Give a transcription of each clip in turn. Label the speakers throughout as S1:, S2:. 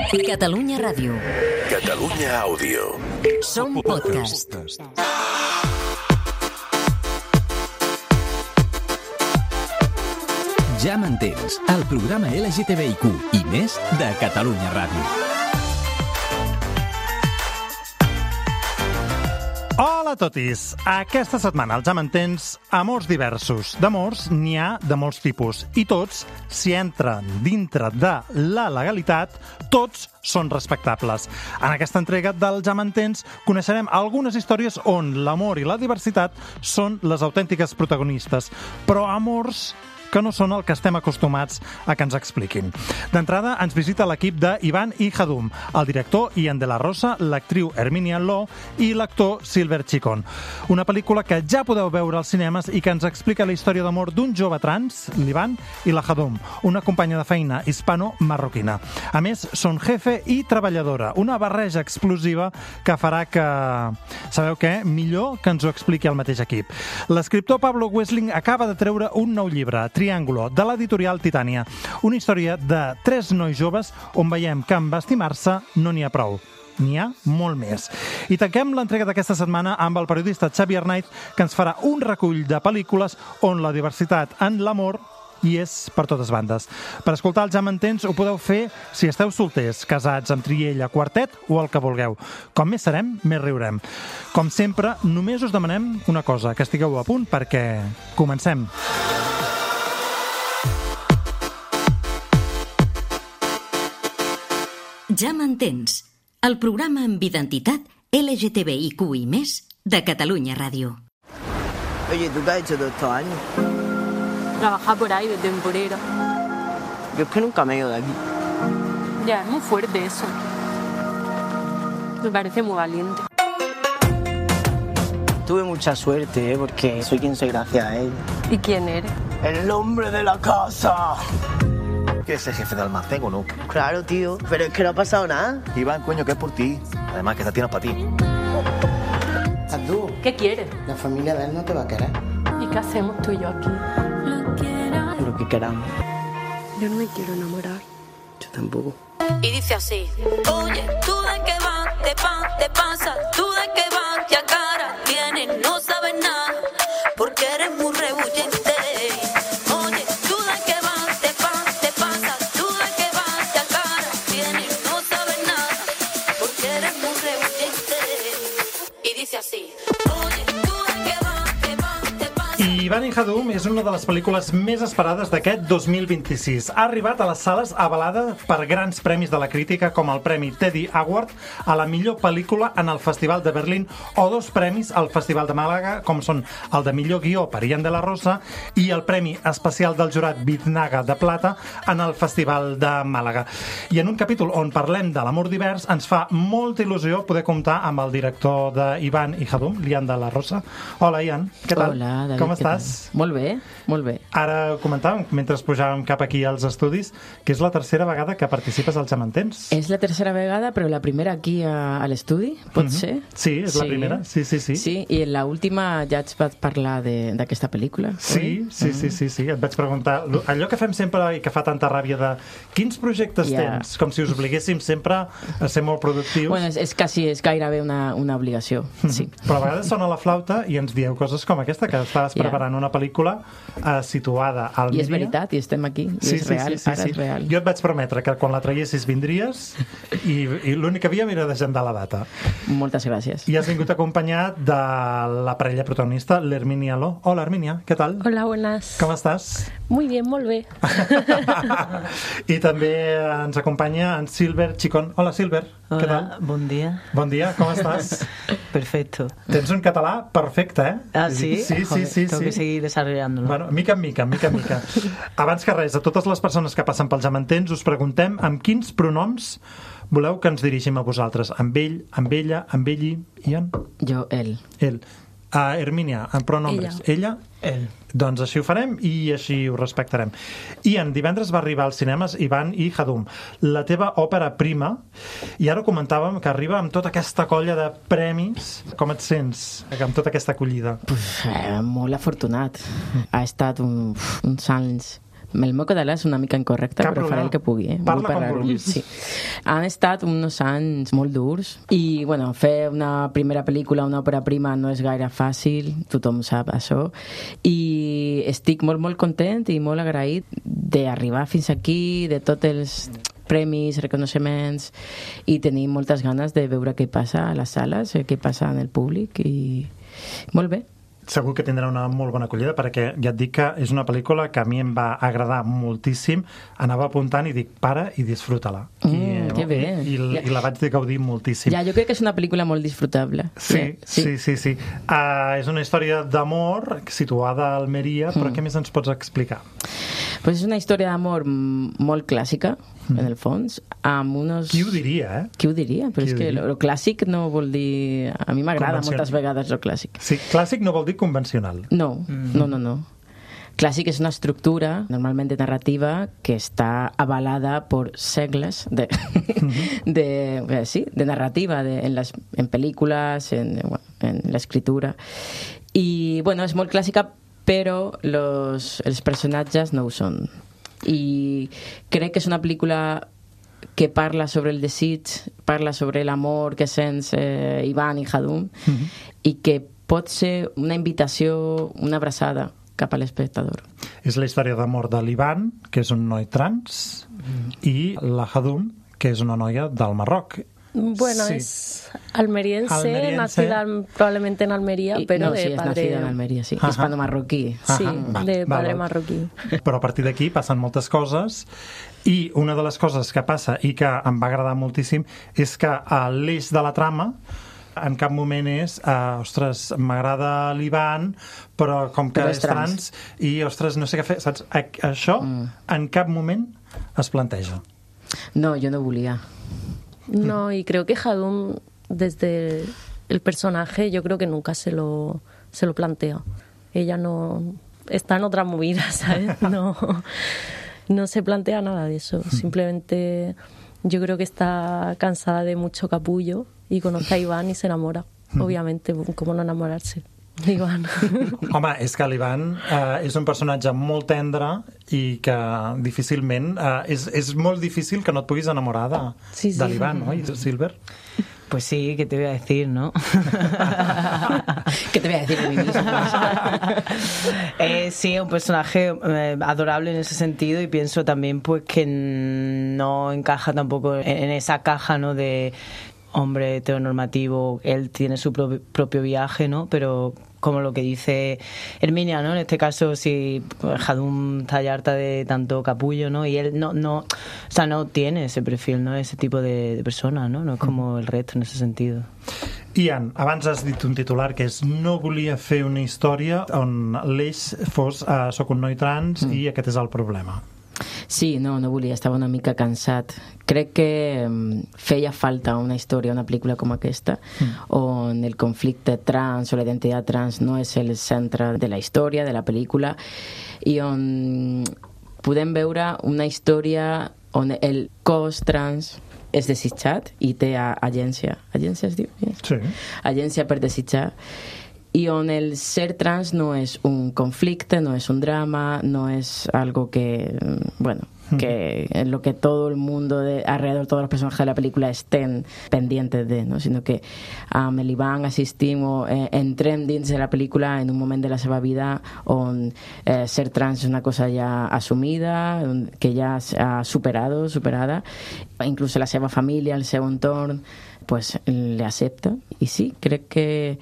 S1: Catalunya Ràdio.
S2: Catalunya Àudio.
S1: Som podcast.
S3: Ja m'entens, el programa LGTBIQ i més de Catalunya Ràdio.
S4: Hola a totis! Aquesta setmana, al Ja m'entens, amors diversos. D'amors n'hi ha de molts tipus i tots, si entren dintre de la legalitat, tots són respectables. En aquesta entrega del Ja m'entens coneixerem algunes històries on l'amor i la diversitat són les autèntiques protagonistes, però amors que no són el que estem acostumats a que ens expliquin. D'entrada, ens visita l'equip de Ivan i Hadum, el director Ian de la Rosa, l'actriu Herminia Lo i l'actor Silver Chicon. Una pel·lícula que ja podeu veure als cinemes i que ens explica la història d'amor d'un jove trans, l'Ivan, i la Hadum, una companya de feina hispano-marroquina. A més, són jefe i treballadora, una barreja explosiva que farà que... Sabeu què? Millor que ens ho expliqui el mateix equip. L'escriptor Pablo Wessling acaba de treure un nou llibre, Triángulo, de l'editorial Titània. Una història de 3 nois joves on veiem que amb estimar-se no n'hi ha prou. N'hi ha molt més. I tanquem l'entrega d'aquesta setmana amb el periodista Xavier Knight, que ens farà un recull de pel·lícules on la diversitat en l'amor hi és per totes bandes. Per escoltar el Ja m'entens ho podeu fer si esteu solters, casats, amb triella, quartet o el que vulgueu. Com més serem, més riurem. Com sempre, només us demanem una cosa, que estigueu a punt perquè comencem.
S1: Ja m'entens, el programa amb identitat LGTBIQ i més de Catalunya Ràdio.
S5: Oye, ¿tú qué has hecho todos estos años?
S6: Trabajar por ahí de temporera.
S5: Yo es que nunca me he ido de aquí.
S6: Ya, es muy fuerte eso. Me parece muy valiente.
S5: Tuve mucha suerte, porque soy quien soy gracias a él.
S6: ¿Y quién eres?
S5: ¡El hombre de la casa!
S7: ¿Que es el jefe de almacén o no?
S5: Claro, tío, pero es que no ha pasado nada.
S7: Iván, coño, que es por ti. Además, que esta tienda es para ti.
S5: Abdú,
S6: ¿Qué quieres?
S5: la familia de él no te va a querer.
S6: ¿Y qué hacemos tú y yo aquí?
S5: Lo que queramos.
S6: Yo no me quiero enamorar.
S5: Yo tampoco.
S8: Y dice así: oye, ¿tú de qué vas? Te pasa. ¿Tú de qué vas? ¿Qué cara tienes? No sabes nada, porque eres muy rebullente. Oye, ¿tú de qué vas? Te pasa. ¿Tú de qué vas? ¿Qué cara tienes? No sabes nada, porque eres muy rebullente. Y dice así: oye, ¿tú de qué vas? Te pasa.
S4: Ivan i Hadum és una de les pel·lícules més esperades d'aquest 2026. Ha arribat a les sales avalada per grans premis de la crítica com el Premi Teddy Award a la millor pel·lícula en el Festival de Berlín o 2 premis al Festival de Màlaga, com són el de millor guió per Ian de la Rosa i el Premi Especial del Jurat Biznaga de Plata en el Festival de Màlaga. I en un capítol on parlem de l'amor divers ens fa molta il·lusió poder comptar amb el director d'Ivan i Hadum, l'Ian de la Rosa. Hola, Ian, què tal?
S9: Hola, David,
S4: com estàs?
S9: Molt bé, molt bé.
S4: Ara comentàvem, mentre pujàvem cap aquí als estudis, que és la tercera vegada que participes al Ja m'entens.
S9: És la tercera vegada, però la primera aquí a l'estudi, pot ser?
S4: Sí, és la primera, sí.
S9: Sí, i en l'última ja et vaig parlar d'aquesta pel·lícula.
S4: Sí. Et vaig preguntar, allò que fem sempre i que fa tanta ràbia de quins projectes tens? Com si us obliguéssim sempre a ser molt productius.
S9: Bueno, és gairebé una obligació, sí.
S4: Però a vegades sona la flauta i ens dieu coses com aquesta, que estaves preparant una pel·lícula situada al
S9: I és
S4: Míria.
S9: veritat, i estem aquí, i és real, ara és real.
S4: Jo et vaig prometre que quan la traiessis vindries i l'únic que havíem era d'agendar la data.
S9: Moltes gràcies.
S4: I has vingut acompanyat de la parella protagonista, l'Herminia Lo. Hola, Herminia, què tal?
S6: Hola, buenas.
S4: Com estàs?
S6: Muy bien, molt bé.
S4: I també ens acompanya en Silver Chicon. Hola, Silver, què tal?
S10: Bon dia.
S4: Bon dia, com estàs?
S10: Perfecto.
S4: Tens un català perfecte, eh?
S10: Ah, sí?
S4: Sí.
S10: Tengo que seguir desarrollándolo.
S4: Bueno, mica en mica. Abans que res, a totes les persones que passen pel Ja m'entens, us preguntem amb quins pronoms voleu que ens dirigim a vosaltres. Amb ell, amb ella, amb elli, Ian?
S9: Jo, ell.
S4: Ell. Hermínia, en pronombres. Ella?
S10: Ell.
S4: Doncs així ho farem i així ho respectarem. Ian, divendres va arribar als cinemes Ivan i Hadum, la teva òpera prima, i ara comentàvem que arriba amb tota aquesta colla de premis. Com et sents amb tota aquesta acollida?
S9: Molt afortunat. Ha estat uns anys El meu català és una mica incorrecte, però faré el que pugui.
S4: Parla com vulguis.
S9: Sí. Han estat uns anys molt durs i, bueno, fer una primera pel·lícula, una òpera prima, no és gaire fàcil, tothom sap això, i estic molt, molt content i molt agraït d'arribar fins aquí, de tots els premis, reconeixements, i tenir moltes ganes de veure què passa a les sales, què passa en el públic, i molt bé.
S4: Segur que tindrà una molt bona acollida, perquè ja et dic que és una pel·lícula que a mi em va agradar moltíssim. Anava apuntant i dic, para i disfruta-la.
S9: Que bé.
S4: I la vaig gaudir moltíssim.
S9: Ja, jo crec que és una pel·lícula molt disfrutable.
S4: Sí. És una història d'amor situada a Almeria, però què més ens pots explicar?
S9: Pues és una història d'amor molt clàssica, en el fons, amb unos...
S4: Qui ho diria,
S9: Qui ho diria? Però és que lo clàssic no vol dir... A mi m'agrada moltes vegades lo clàssic.
S4: Sí, clàssic no vol dir convencional.
S9: No. Clàssic és una estructura, normalment de narrativa, que està avalada per segles de narrativa, en pel·lícules, en l'escriptura. I, bueno, és molt clàssica, però els personatges no ho són. I crec que és una pel·lícula que parla sobre el desig, parla sobre l'amor que sents Ivan i Hadum, i que pot ser una invitació, una abraçada cap a l'espectador.
S4: És la història d'amor de l'Ivan, que és un noi trans, i la Hadum, que és una noia del Marroc.
S11: Bueno, es almeriense, nacida probablemente en Almería, pero de
S9: es
S11: padre...
S9: nacida en Almería, sí. Hispano-marroquí.
S11: Sí, de padre marroquí.
S4: Però a partir d'aquí passen moltes coses, i una de les coses que passa i que em va agradar moltíssim és que l'eix de la trama en cap moment és ostres, m'agrada l'Ivan, però com que és trans i, ostres, no sé què fer, saps? Això en cap moment es planteja.
S9: No, jo no volia.
S11: No, y creo que Hadum, desde el personaje, yo creo que nunca se lo plantea. Ella no está en otra movida, ¿sabes? No se plantea nada de eso. Simplemente yo creo que está cansada de mucho capullo y conoce a Iván y se enamora. Obviamente, ¿cómo no enamorarse? Iván.
S4: Home, és que l'Ivan és un personatge molt tendre i que difícilment és molt difícil que no et puguis enamorar de l'Ivan, no? Silver?
S10: Pues sí, ¿qué te voy a decir, no?
S9: ¿Qué te voy a decir de mí mismo?
S10: Sí, es un personaje adorable en ese sentido, y pienso también pues que no encaja tampoco en esa caja, ¿no?, de hombre heteronormativo. Él tiene su propio viaje, ¿no? Pero como lo que dice Herminia, ¿no? En este caso, si Hadum está ya harta de tanto capullo, ¿no? Y él no tiene ese perfil, ¿no? Ese tipo de persona, ¿no? No es como el resto en ese sentido.
S4: Ian, abans has dit un titular que és no volia fer una història on l'eix fos soc un noi trans i aquest és el problema.
S9: Sí, no volia, estava una mica cansat. Crec que feia falta una història, una pel·lícula com aquesta, on el conflicte trans o la identitat trans no és el centre de la història, de la pel·lícula, i on podem veure una història on el cos trans és desitjat i té agència. Agència es diu?
S4: Sí.
S9: Agència per desitjar. Y on el ser trans no es un conflicto, no es un drama, no es algo que, bueno, que en lo que todo el mundo alrededor, todos los personajes de la película estén pendientes de, no? Sino que amb l'Ivan assistim o entrem dins de la pel·lícula en un moment de la seva vida on ser trans és una cosa ja assumida, que ja ha superada, inclús la seva família, el seu entorn, pues le acepta. Y sí, crec que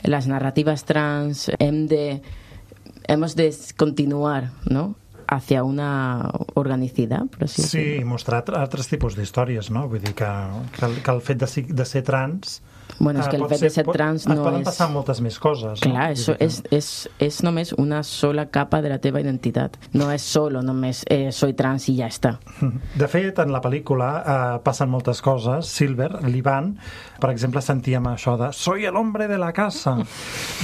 S9: las narrativas trans hemos de continuar, ¿no?, hacia una organicidad, por así decirlo.
S4: Sí, mostrar altres tipus d'històries, no? Vull dir que el fet de ser trans...
S9: Bueno, és que el fet de ser trans no és...
S4: Poden passar moltes més coses.
S9: Clar, això és només una sola capa de la teva identitat. No és solo només soy trans i ja està.
S4: De fet, en la pel·lícula passen moltes coses. Silver, l'Ivan, per exemple, sentíem això de soy el hombre de la casa,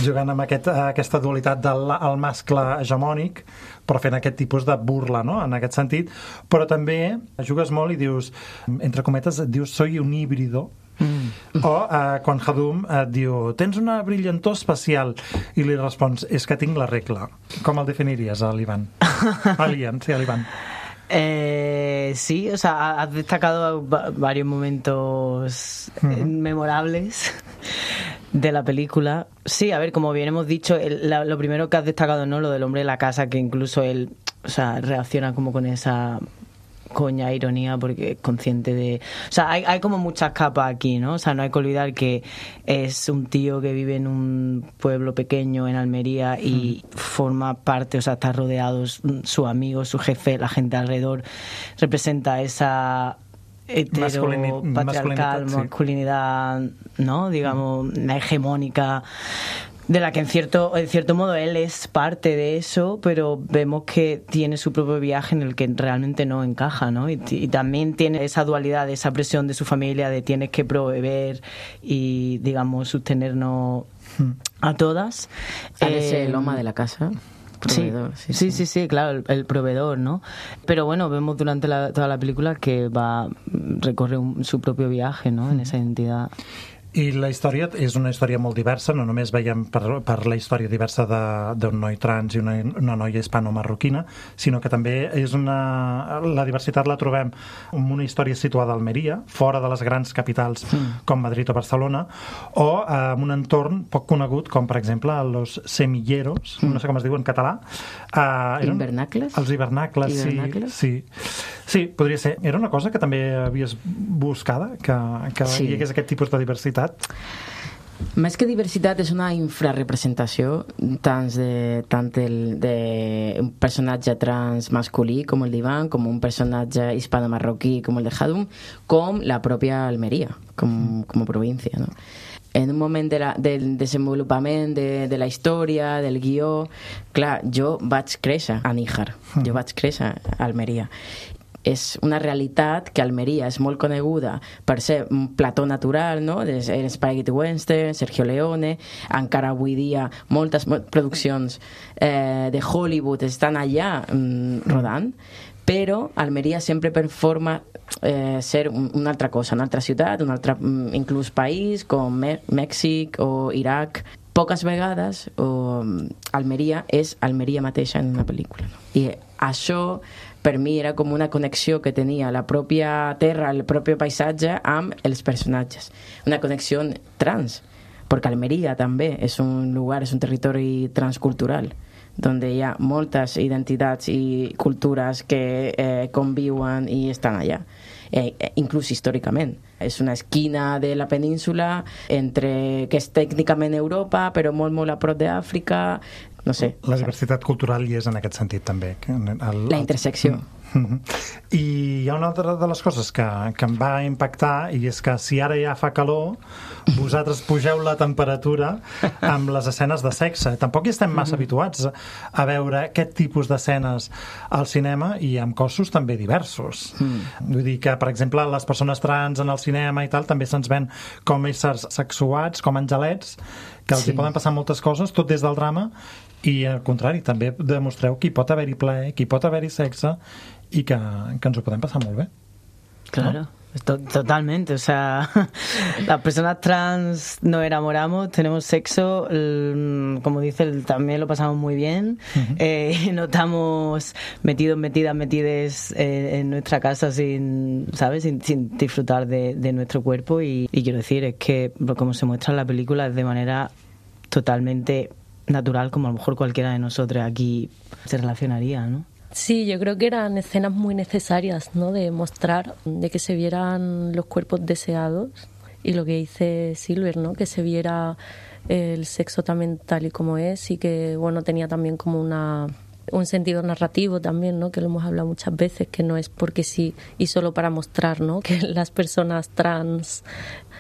S4: jugant amb aquesta dualitat del mascle hegemònic, però fent aquest tipus de burla, no?, en aquest sentit. Però també jugues molt i dius, entre cometes, dius soy un híbrido, O quan Hadum et diu tens una brillantor especial i li respons és que tinc la regla. Com el definiries a l'Ivan? A l'Ian, sí, a l'Ivan.
S10: Sí, o sea, has destacado varios momentos memorables de la película. Sí, a ver, como bien hemos dicho, lo primero que has destacado, ¿no? Lo del hombre de la casa, que incluso él, o sea, reacciona como con esa coña, ironía, porque es consciente de... O sea, hay como muchas capas aquí, ¿no? O sea, no hay que olvidar que es un tío que vive en un pueblo pequeño en Almería y forma parte, o sea, está rodeado, su amigo, su jefe, la gente alrededor, representa esa heteropatriarcal masculinidad, ¿no? Digamos, hegemónica, de la que en cierto modo él es parte de eso, pero vemos que tiene su propio viaje en el que realmente no encaja, ¿no? Y también tiene esa dualidad, esa presión de su familia de tienes que proveer y, digamos, sostenernos a todas.
S9: Eres el loma de la casa. Proveedor,
S10: sí, claro, el proveedor, ¿no? Pero bueno, vemos durante toda la película que recorre su propio viaje, ¿no? En esa identidad.
S4: I la història és una història molt diversa, no només veiem per la història diversa d'un noi trans i una noia hispano-marroquina, sinó que també és la diversitat la trobem en una història situada a Almeria, fora de les grans capitals com Madrid o Barcelona, o en un entorn poc conegut com, per exemple, los semilleros, no sé com es diu en català.
S9: Hivernacles?
S4: Els hivernacles, sí. Sí, podria ser. Era una cosa que també havies buscada, que hi hagués aquest tipus de diversitat.
S9: Més que diversitat és una infrarrepresentació tant d'un personatge trans masculí com el d'Ivan, com un personatge hispano-marroquí com el de Hadum, com la pròpia Almeria com a província, no? En un moment del desenvolupament de la història, del guió, clar, jo vaig créixer a Níjar, jo vaig créixer a Almeria. És una realitat que Almeria és molt coneguda per ser un plató natural, no? El Spaghetti Western, Sergio Leone, encara avui dia moltes produccions de Hollywood estan allà rodant, però Almeria sempre performa ser una altra cosa, una altra ciutat, un altre inclús país com Mèxic o Iraq. Poques vegades Almeria és Almeria mateixa en una pel·lícula, no? I això per mi era com una connexió que tenia la pròpia terra, el propi paisatge amb els personatges, una connexió trans, perquè Almeria també és un lugar, és un territori transcultural on hi ha moltes identitats i cultures que conviuen i estan allà, inclús històricament. És una esquina de la península que és tècnicament Europa, però molt, molt a prop d'Àfrica, no sé.
S4: La diversitat cultural hi és en aquest sentit també.
S9: La intersecció.
S4: I hi ha una altra de les coses que em va impactar, i és que si ara ja fa calor, vosaltres pugeu la temperatura amb les escenes de sexe. Tampoc hi estem massa habituats a veure aquest tipus d'escenes al cinema, i amb cossos també diversos. Vull dir que, per exemple, les persones trans en el cinema i tal també se'ns ven com éssers sexuats, com angelets, que els hi poden passar moltes coses, tot des del drama, i al contrari, també demostreu que hi pot haver-hi plaer, que hi pot haver-hi sexe, y que ens ho podem passar molt bé.
S10: Claro, ¿no? Totalmente. O sea, las personas trans nos enamoramos, tenemos sexo, como dice, también lo pasamos muy bien. No estamos metidas en nuestra casa sin disfrutar de nuestro cuerpo. Y quiero decir, es que como se muestra en la película es de manera totalmente natural, como a lo mejor cualquiera de nosotros aquí se relacionaría, ¿no?
S11: Sí, yo creo que eran escenas muy necesarias, ¿no? De mostrar, de que se vieran los cuerpos deseados y lo que dice Silver, ¿no? Que se viera el sexo también tal y como es, y que, bueno, tenía también como un sentido narrativo también, ¿no? Que lo hemos hablado muchas veces, que no es porque sí y solo para mostrar, ¿no? Que las personas trans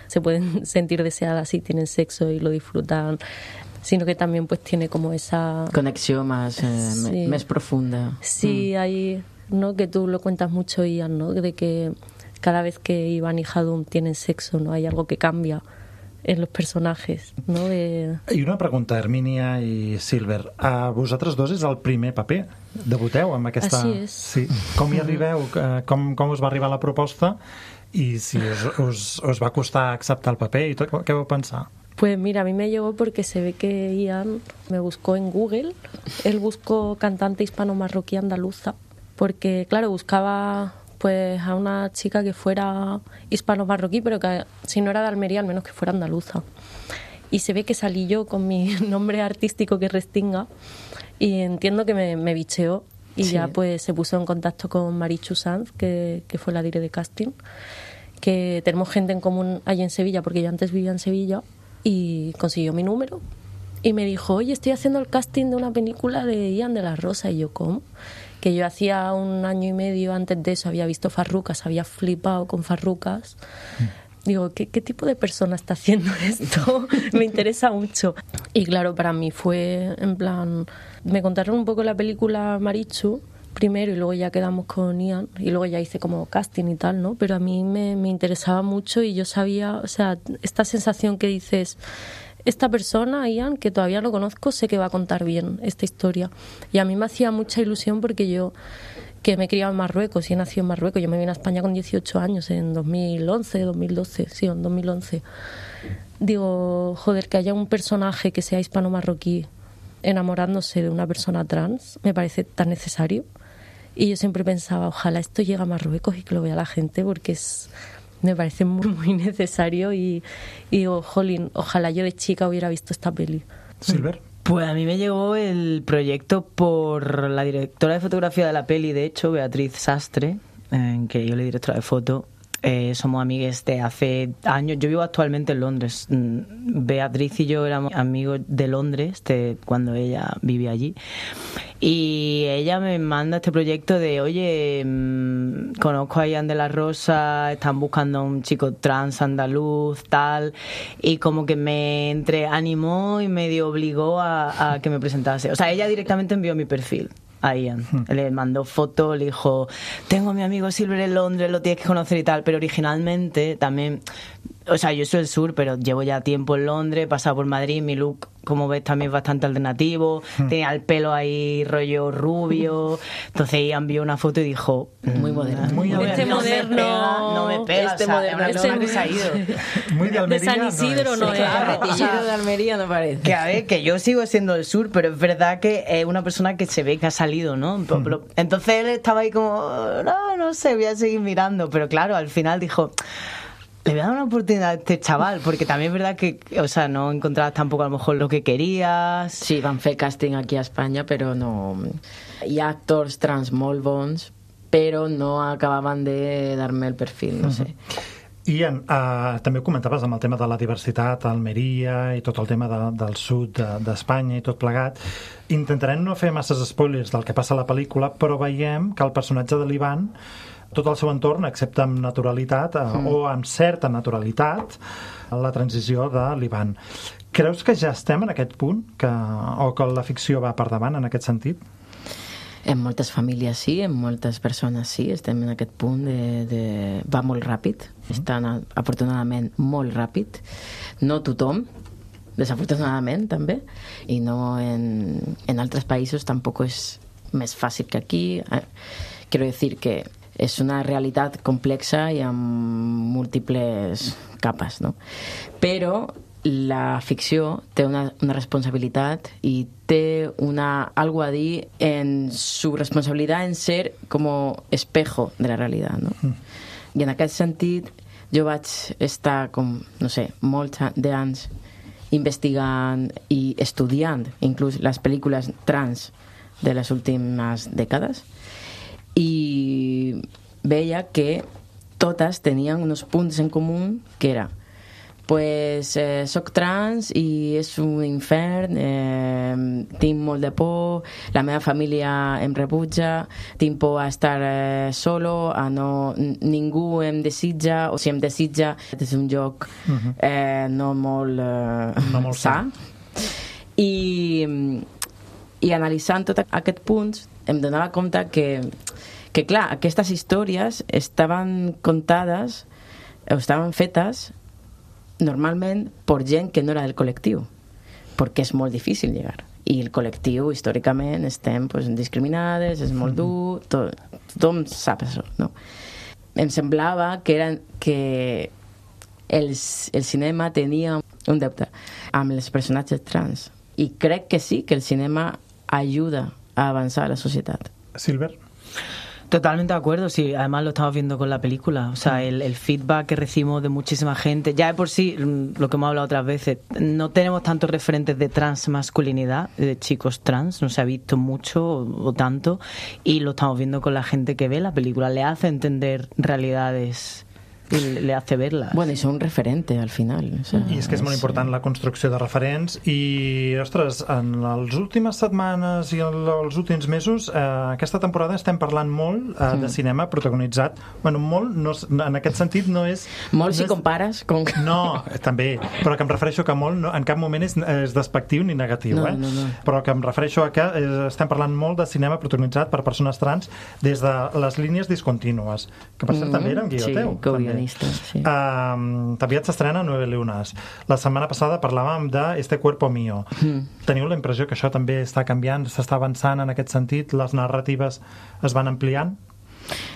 S11: se pueden sentir deseadas y tienen sexo y lo disfrutan, sino que también pues tiene como esa
S9: conexión más profunda.
S11: Sí, hay, ¿no? Que tú lo cuentas mucho, Ian, ¿no? De que cada vez que Ivan y Hadum tienen sexo, ¿no? Hay algo que cambia en los personajes, ¿no?
S4: I una pregunta, Hermínia i Silver. A vosaltres dos és el primer paper. Debuteu amb aquesta...
S11: Així és.
S4: Sí. Com hi arribeu? Com us va arribar la proposta? I si us va costar acceptar el paper i tot, què vau pensar?
S11: Pues mira, a mí me llegó porque se ve que Ian me buscó en Google. Él buscó cantante hispano-marroquí andaluza, porque claro, buscaba pues a una chica que fuera hispano-marroquí, pero que si no era de Almería, al menos que fuera andaluza. Y se ve que salí yo con mi nombre artístico, que es Restinga, y entiendo que me bicheó. Y ya pues se puso en contacto con Marichu Sanz, que fue la directora de casting, que tenemos gente en común allí en Sevilla, porque yo antes vivía en Sevilla, y consiguió mi número y me dijo, oye, estoy haciendo el casting de una película de Ian de la Rosa. Y yo, ¿cómo? Que yo hacía 1 año y medio antes de eso había visto Farrucas, había flipado con Farrucas. Digo, ¿qué tipo de persona está haciendo esto? Me interesa mucho. Y claro, para mí fue en plan, me contaron un poco la película Marichu primero y luego ya quedamos con Ian y luego ya hice como casting y tal, ¿no? Pero a mí me interesaba mucho y yo sabía, o sea, esta sensación que dices, esta persona, Ian, que todavía no conozco, sé que va a contar bien esta historia. Y a mí me hacía mucha ilusión porque yo, que me he criado en Marruecos y he nacido en Marruecos, yo me vine a España con 18 años, en 2011, 2012, sí, en 2011. Digo, joder, que haya un personaje que sea hispano-marroquí enamorándose de una persona trans, me parece tan necesario. Y yo siempre pensaba, ojalá esto llegue a Marruecos y que lo vea la gente, porque me parece muy, muy necesario. Y digo, jolín, ojalá yo de chica hubiera visto esta peli.
S4: Silver.
S10: Pues a mí me llegó el proyecto por la directora de fotografía de la peli, de hecho, Beatriz Sastre, que yo le directora de foto. Somos amigues de hace años. Yo vivo actualmente en Londres. Beatriz y yo éramos amigos de Londres cuando ella vivía allí. Y ella me manda este proyecto de, oye, conozco a Ian de la Rosa, están buscando a un chico trans andaluz, tal. Y como que me animó y medio obligó a que me presentase. O sea, ella directamente envió mi perfil a Ian. Le mandó fotos, le dijo, tengo a mi amigo Silver en Londres, lo tienes que conocer y tal. Pero originalmente también, o sea, yo soy del sur, pero llevo ya tiempo en Londres, he pasado por Madrid, mi look, como ves, también es bastante alternativo, tenía el pelo ahí rollo rubio, entonces Ian vio una foto y dijo,
S9: muy moderno,
S10: no me pega,
S9: este
S10: o sea,
S9: moderno,
S10: es una persona que se ha ido
S4: muy de Almería,
S11: de San Isidro no es,
S9: retillero de Almería no parece,
S10: que a ver, que yo sigo siendo del sur, pero es verdad que es una persona que se ve que ha salido, ¿no? Entonces él estaba ahí como, no sé, voy a seguir mirando, pero claro, al final dijo, le voy a dar una oportunidad a este chaval, porque también es verdad que, o sea, no encontrabas tampoco a lo mejor lo que querías.
S9: Sí, van fer casting aquí a Espanya, però no... Hi ha actors trans molt bons, però no acabaven de dar-me el perfil, no sé.
S4: Ian, també ho comentaves amb el tema de la diversitat a Almeria i tot el tema del sud d'Espanya i tot plegat. Intentarem no fer masses spoilers del que passa a la pel·lícula, però veiem que el personatge de l'Ivan, tot el seu entorn accepta amb naturalitat o amb certa naturalitat la transició de l'Ivan. Creus que ja estem en aquest punt o que la ficció va per davant en aquest sentit?
S9: En moltes famílies sí, en moltes persones sí, estem en aquest punt de... va molt ràpid, estan afortunadament molt ràpid, no tothom, desafortunadament també, i no en altres països tampoc és més fàcil que aquí. Quiero decir que és una realitat complexa i amb múltiples capes, no? Però la ficció té una responsabilitat i té algo a dir en su responsabilitat en ser com espejo de la realitat, no? I en aquest sentit jo vaig estar com, no sé, molts d'anys investigant i estudiant inclús les pel·lícules trans de les últimes dècades i veia que totes tenien uns punts en comú que era pues soc trans i és un infern, tinc molt de por, la meva família em rebutja, tinc por a estar solo, ningú em desitja, o si em desitja és un lloc no molt sa. I analitzant tots aquests punts em donava compte que clar, aquestes històries estaven contades o estaven fetes normalment per gent que no era del col·lectiu, perquè és molt difícil llegar. I el col·lectiu, històricament, estem discriminades, és molt dur, tothom sap això, no? em semblava que el cinema tenia un deute amb els personatges trans. I crec que sí, que el cinema ajuda a avanzar a la sociedad.
S4: Silver.
S10: Totalmente de acuerdo, sí, además lo estamos viendo con la película, o sea, el feedback que recibimos de muchísima gente, ya de por sí, lo que hemos hablado otras veces, no tenemos tantos referentes de transmasculinidad, de chicos trans, no se ha visto mucho o tanto, y lo estamos viendo con la gente que ve la película, le hace entender realidades i le hace verla.
S9: Bueno, i són referentes al final. O sea,
S4: I és que és molt important la construcció de referents i, ostres, en les últimes setmanes i els últims mesos, aquesta temporada estem parlant molt de cinema protagonitzat. Bueno, molt, no, en aquest sentit no és...
S9: Molt si compares com...
S4: No, també, però que em refereixo que molt no, en cap moment és despectiu ni negatiu,
S9: no, no.
S4: Però que em refereixo a que estem parlant molt de cinema protagonitzat per persones trans des de les línies discontínues, que per cert també eren guió teu.
S9: Sí.
S4: També s'estrena 9 Lunas. La setmana passada parlàvem de Este cuerpo mío. Teniu la impressió que això també està canviant, s'està avançant en aquest sentit, les narratives es van ampliant?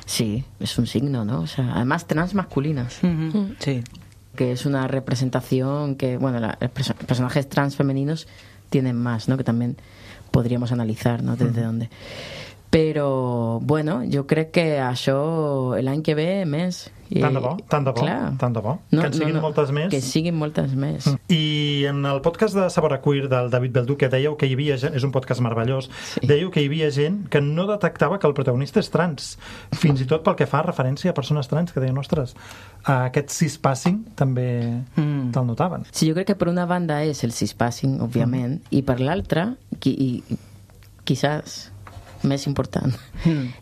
S9: Sí, es un signo, ¿no? O sea, además transmasculinas.
S10: Sí.
S9: Que es una representación que, bueno, los personajes trans femeninos tienen más, ¿no? Que también podríamos analizar, ¿no? Desde dónde. Però, bueno, jo crec que això l'any que ve més.
S4: Tant de bo, tant de bo. Tant de bo.
S9: No,
S4: que en siguin moltes més.
S9: Que siguin moltes més.
S4: I en el podcast de Sabor a Queer del David Beldu, que dèieu que hi havia gent, és un podcast meravellós, dèieu que hi havia gent que no detectava que el protagonista és trans, fins i tot pel que fa referència a persones trans, que deien, ostres, aquest cispassing també te'l notaven.
S9: Sí, jo crec que per una banda és el cispassing, òbviament, i per l'altra, quizás més important,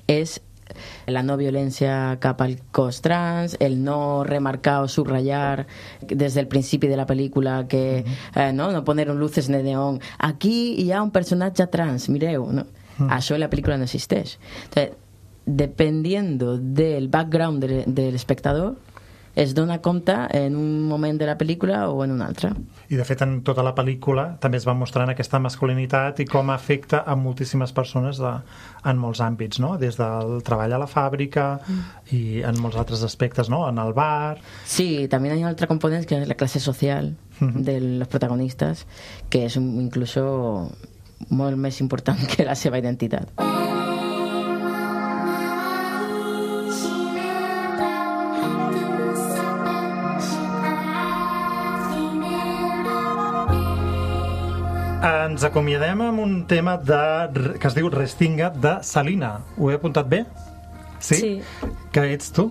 S9: és la no violència cap al cos trans, el no remarcar o subratllar des del principi de la pel·lícula que no poner luces de neón, aquí hi ha un personatge trans, mireu, no? Això en la pel·lícula no existeix. Entonces, dependiendo del background del espectador, es dona compte en un moment de la pel·lícula o en un altre.
S4: I de fet en tota la pel·lícula també es va mostrant aquesta masculinitat i com afecta a moltíssimes persones en molts àmbits, no? Des del treball a la fàbrica i en molts altres aspectes, no? En el bar...
S9: Sí, también hay otro componente que es la clase social de los protagonistas, que es incluso molt més important que la seva identitat.
S4: Ens acomiadem amb un tema que es diu Restinga, de Salina. Ho he apuntat bé? Sí? Que ets tu?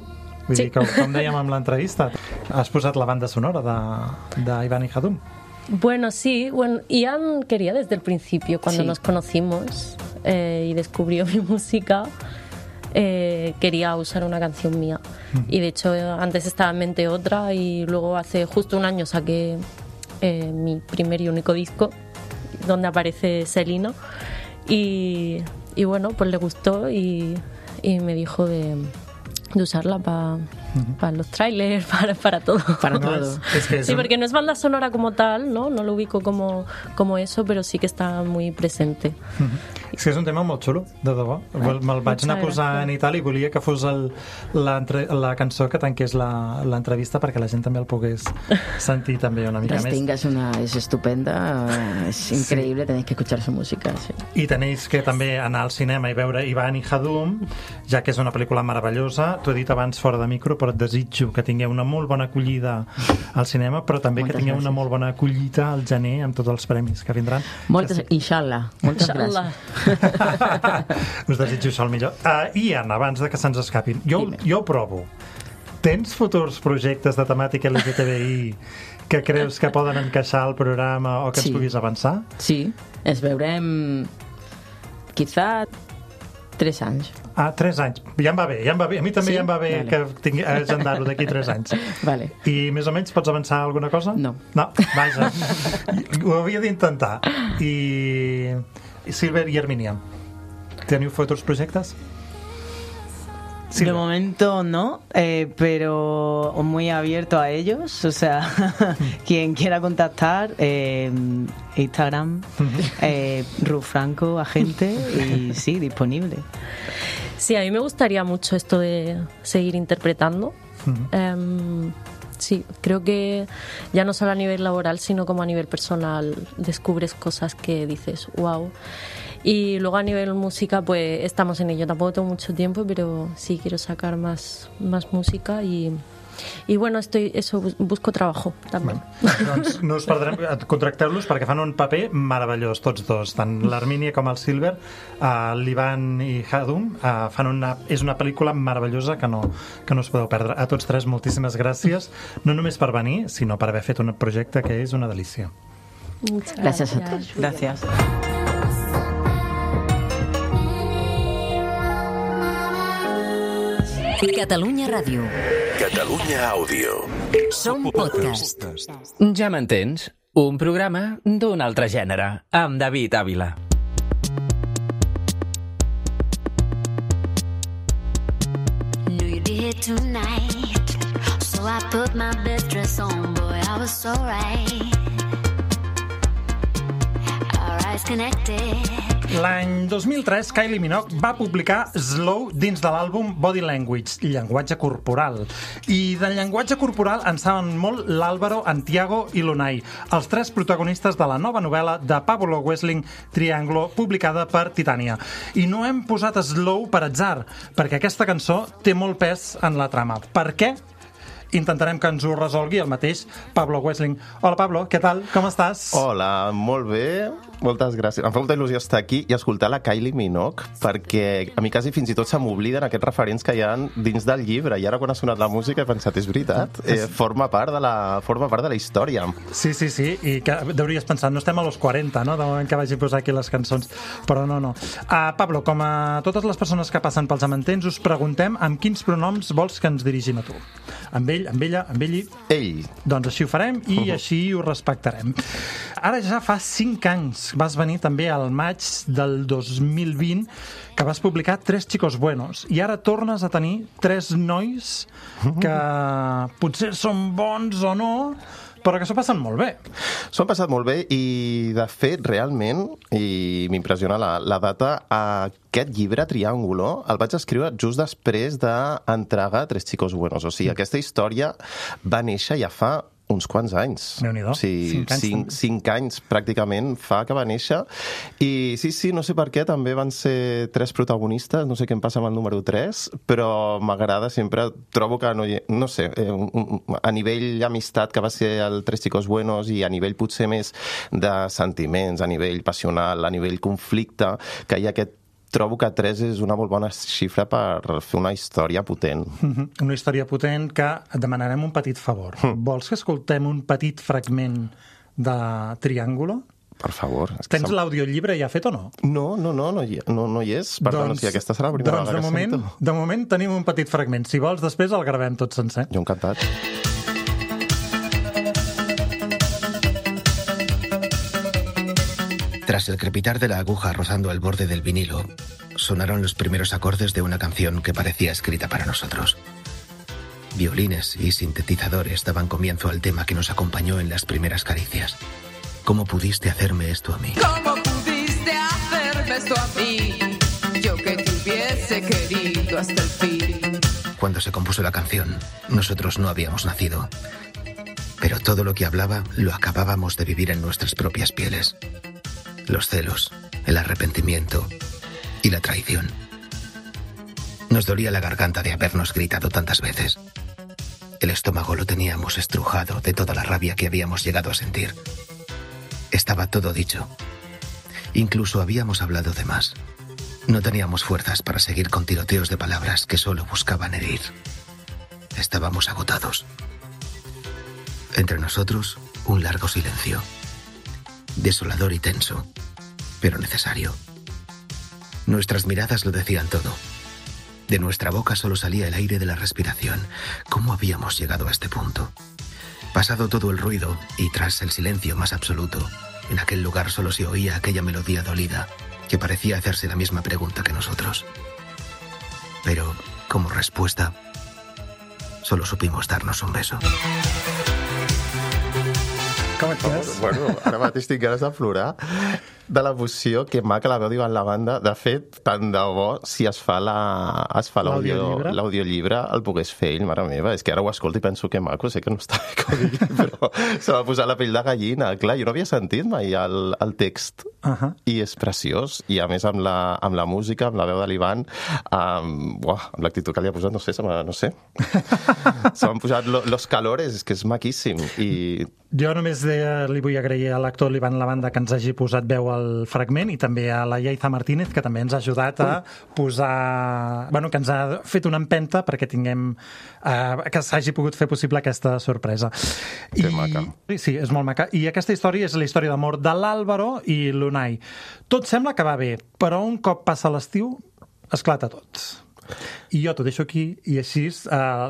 S4: Vull dir que, com dèiem en l'entrevista, has posat la banda sonora d'Iván y Jadum.
S11: Bueno, sí. Bueno, Ian quería desde el principio, cuando nos conocimos y descubrió mi música, quería usar una canción mía. Y de hecho, antes estaba en mente otra y luego hace justo un año saqué mi primer y único disco, donde aparece Selena, y bueno, pues le gustó y me dijo de usarla para los trailers, para todo.
S9: Para todo.
S11: Sí, porque no es banda sonora como tal, no lo ubico como eso, però sí que està muy presente.
S4: És que és un tema molt xulo, de debò. Me'l vaig anar posant i tal, i volia que fos la cançó que tanqués l'entrevista perquè la gent també el pogués sentir també una mica més.
S9: Restinga és estupenda, és increïble, tenéis que escuchar su música. Sí.
S4: I tenéis que també anar al cinema i veure Iván y Jadum, ja que és una pel·lícula meravellosa. T'ho he dit abans fora de micro, però et desitjo que tingueu una molt bona acollida al cinema, però també que tingueu una molt bona acollida al gener amb tots els premis que vindran.
S9: Inshallah. Moltes gràcies.
S4: Us desitjo això el millor. I Anna, abans de que se'ns escapin, jo ho provo. Tens futurs projectes de temàtica LGTBI que creus que poden encaixar al programa o que ens puguis avançar?
S9: Sí, ens veurem quizá 3 anys.
S4: 3 anys. Ja em va bé. A mi també ja em va bé que agendar-ho d'aquí 3 anys.
S9: Vale.
S4: I més o menys pots avançar alguna cosa?
S9: No.
S4: Vaja. Ho havia d'intentar. I Silver y Herminia, ¿teniu futurs proyectos?
S10: Sí, de momento no, pero muy abierto a ellos, o sea, quien quiera contactar, Instagram, Ruth Franco, agente, y sí, disponible.
S11: Sí, a mí me gustaría mucho esto de seguir interpretando. Sí, creo que ya no solo a nivel laboral, sino como a nivel personal descubres cosas que dices, wow. Y luego a nivel música, pues estamos en ello. Tampoco tengo mucho tiempo, pero sí quiero sacar más música y bueno, busco trabajo també.
S4: Doncs no us perdrem, contracteu-los perquè fan un paper meravellós tots dos, tant l'Armínia com el Silver, l'Ivan i Hadum és una pel·lícula meravellosa que no us podeu perdre. A tots tres moltíssimes gràcies, no només per venir, sinó per haver fet un projecte que és una delícia.
S9: Gràcies a tots.
S10: Gràcies.
S1: Catalunya Ràdio.
S2: Catalunya Àudio.
S1: Som podcast.
S3: Ja m'entens? Un programa d'un altre gènere, amb David Ávila.
S8: Knew you'd be here tonight, so I put my best dress on, boy, I was so right. Our eyes connected.
S4: L'any 2003, Kylie Minogue va publicar Slow dins de l'àlbum Body Language, llenguatge corporal. I del llenguatge corporal en saben molt l'Álvaro, Antiago i l'Unai, els tres protagonistes de la nova novel·la de Pablo Wessling, Triángulo, publicada per Titania. I no hem posat Slow per atzar, perquè aquesta cançó té molt pes en la trama. Per què? Intentarem que ens ho resolgui el mateix Pablo Wessling. Hola, Pablo, què tal? Com estàs?
S12: Hola, molt bé. Moltes gràcies. Em fa molta il·lusió estar aquí i escoltar la Kylie Minogue, perquè a mi quasi fins i tot se m'obliden aquests referents que hi ha dins del llibre. I ara quan ha sonat la música he pensat, és veritat, forma part de la història.
S4: Sí, i que hauries pensat, no estem a los 40, no?, de moment que vagi a posar aquí les cançons. Però no. Pablo, com a totes les persones que passen pels amentents, us preguntem amb quins pronoms vols que ens dirigim a tu. Amb ell, amb ella, amb ell i...
S12: Ell.
S4: Doncs així ho farem i així ho respectarem. Ara ja fa 5 anys vas venir també al maig del 2020 que vas publicar 3 chicos buenos i ara tornes a tenir 3 nois que potser són bons o no, però que s'ho passen molt bé.
S12: S'ho han passat molt bé i, de fet, realment, i m'impressiona la data, aquest llibre, Triángulo, el vaig escriure just després d'entregar 3 chicos buenos. O sigui, aquesta història va néixer ja fa uns quants anys.
S4: Déu-n'hi-do.
S12: O sigui, 5 anys pràcticament fa que va néixer. I sí, no sé per què, també van ser 3 protagonistes, no sé què em passa amb el número 3, però m'agrada sempre, trobo que, no sé, a nivell amistat, que va ser el 3 chicos buenos, i a nivell potser més de sentiments, a nivell passional, a nivell conflicte, que hi ha aquest trobo que 3 és una molt bona xifra per fer una història potent.
S4: Una història potent que et demanarem un petit favor. Vols que escoltem un petit fragment de Triángulo?
S12: Per favor.
S4: Tens l'audiollibre ja fet o no?
S12: No hi és. Per tant, aquesta serà la primera vegada que sento.
S4: De moment tenim un petit fragment. Si vols, després el gravem tot sencer.
S12: Jo encantat.
S13: Tras el crepitar de la aguja rozando el borde del vinilo, sonaron los primeros acordes de una canción que parecía escrita para nosotros. Violines y sintetizadores daban comienzo al tema que nos acompañó en las primeras caricias. ¿Cómo pudiste hacerme esto a mí?
S14: ¿Cómo pudiste hacerme esto a mí? Yo que te hubiese querido hasta el fin.
S13: Cuando se compuso la canción, nosotros no habíamos nacido. Pero todo lo que hablaba lo acabábamos de vivir en nuestras propias pieles. Los celos, el arrepentimiento y la traición. Nos dolía la garganta de habernos gritado tantas veces. El estómago lo teníamos estrujado de toda la rabia que habíamos llegado a sentir. Estaba todo dicho. Incluso habíamos hablado de más. No teníamos fuerzas para seguir con tiroteos de palabras que solo buscaban herir. Estábamos agotados. Entre nosotros, un largo silencio. Desolador y tenso, pero necesario. Nuestras miradas lo decían todo. De nuestra boca solo salía el aire de la respiración. ¿Cómo habíamos llegado a este punto? Pasado todo el ruido y tras el silencio más absoluto, en aquel lugar solo se oía aquella melodía dolida que parecía hacerse la misma pregunta que nosotros. Pero, como respuesta, solo supimos darnos un beso.
S4: Com et quedes?
S12: Bueno, ara mateix tinc ganes de plorar. de la poció, que maca la veu d'Ivan Lavanda. De fet, tant de bo, si es fa l'audiollibre, el pogués fer ell, mare meva. És que ara ho escolto i penso que maco, sé que no està bé que ho digui, però se m'ha posat la pell de gallina. Clar, jo no havia sentit mai el text. I és preciós. I a més amb la música, amb la veu de l'Ivan, amb l'actitud que li ha posat, no sé. Se m'han posat los calores, és que és maquíssim. I
S4: jo només li vull agrair a l'actor l'Ivan Lavanda que ens hagi posat veu al fragment i també a la Yaiza Martínez, que també ens ha ajudat a posar... Bueno, que ens ha fet una empenta perquè tinguem... que s'hagi pogut fer possible aquesta sorpresa.
S12: Que maca.
S4: Sí, és molt maca. I aquesta història és la història d'amor de l'Àlvaro i l'Unai. Tot sembla que va bé, però un cop passa l'estiu, esclata tot. I jo t'ho deixo aquí, i així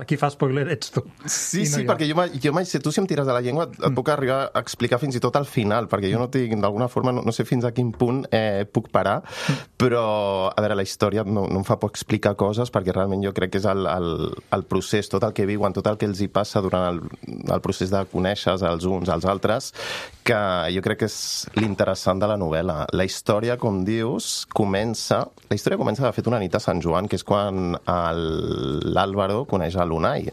S4: qui fa spoiler ets tu.
S12: Sí, perquè jo mai sé, tu si em tires de la llengua et puc arribar a explicar fins i tot al final, perquè jo no tinc, d'alguna forma, no sé fins a quin punt puc parar, però, a veure, la història no em fa por explicar coses, perquè realment jo crec que és el procés, tot el que viuen, tot el que els hi passa durant el procés de conèixer els uns als altres, que jo crec que és l'interessant de la novel·la. La història, com dius, comença de fet una nit a Sant Joan, que és quan l'Àlvaro coneix a l'Unai.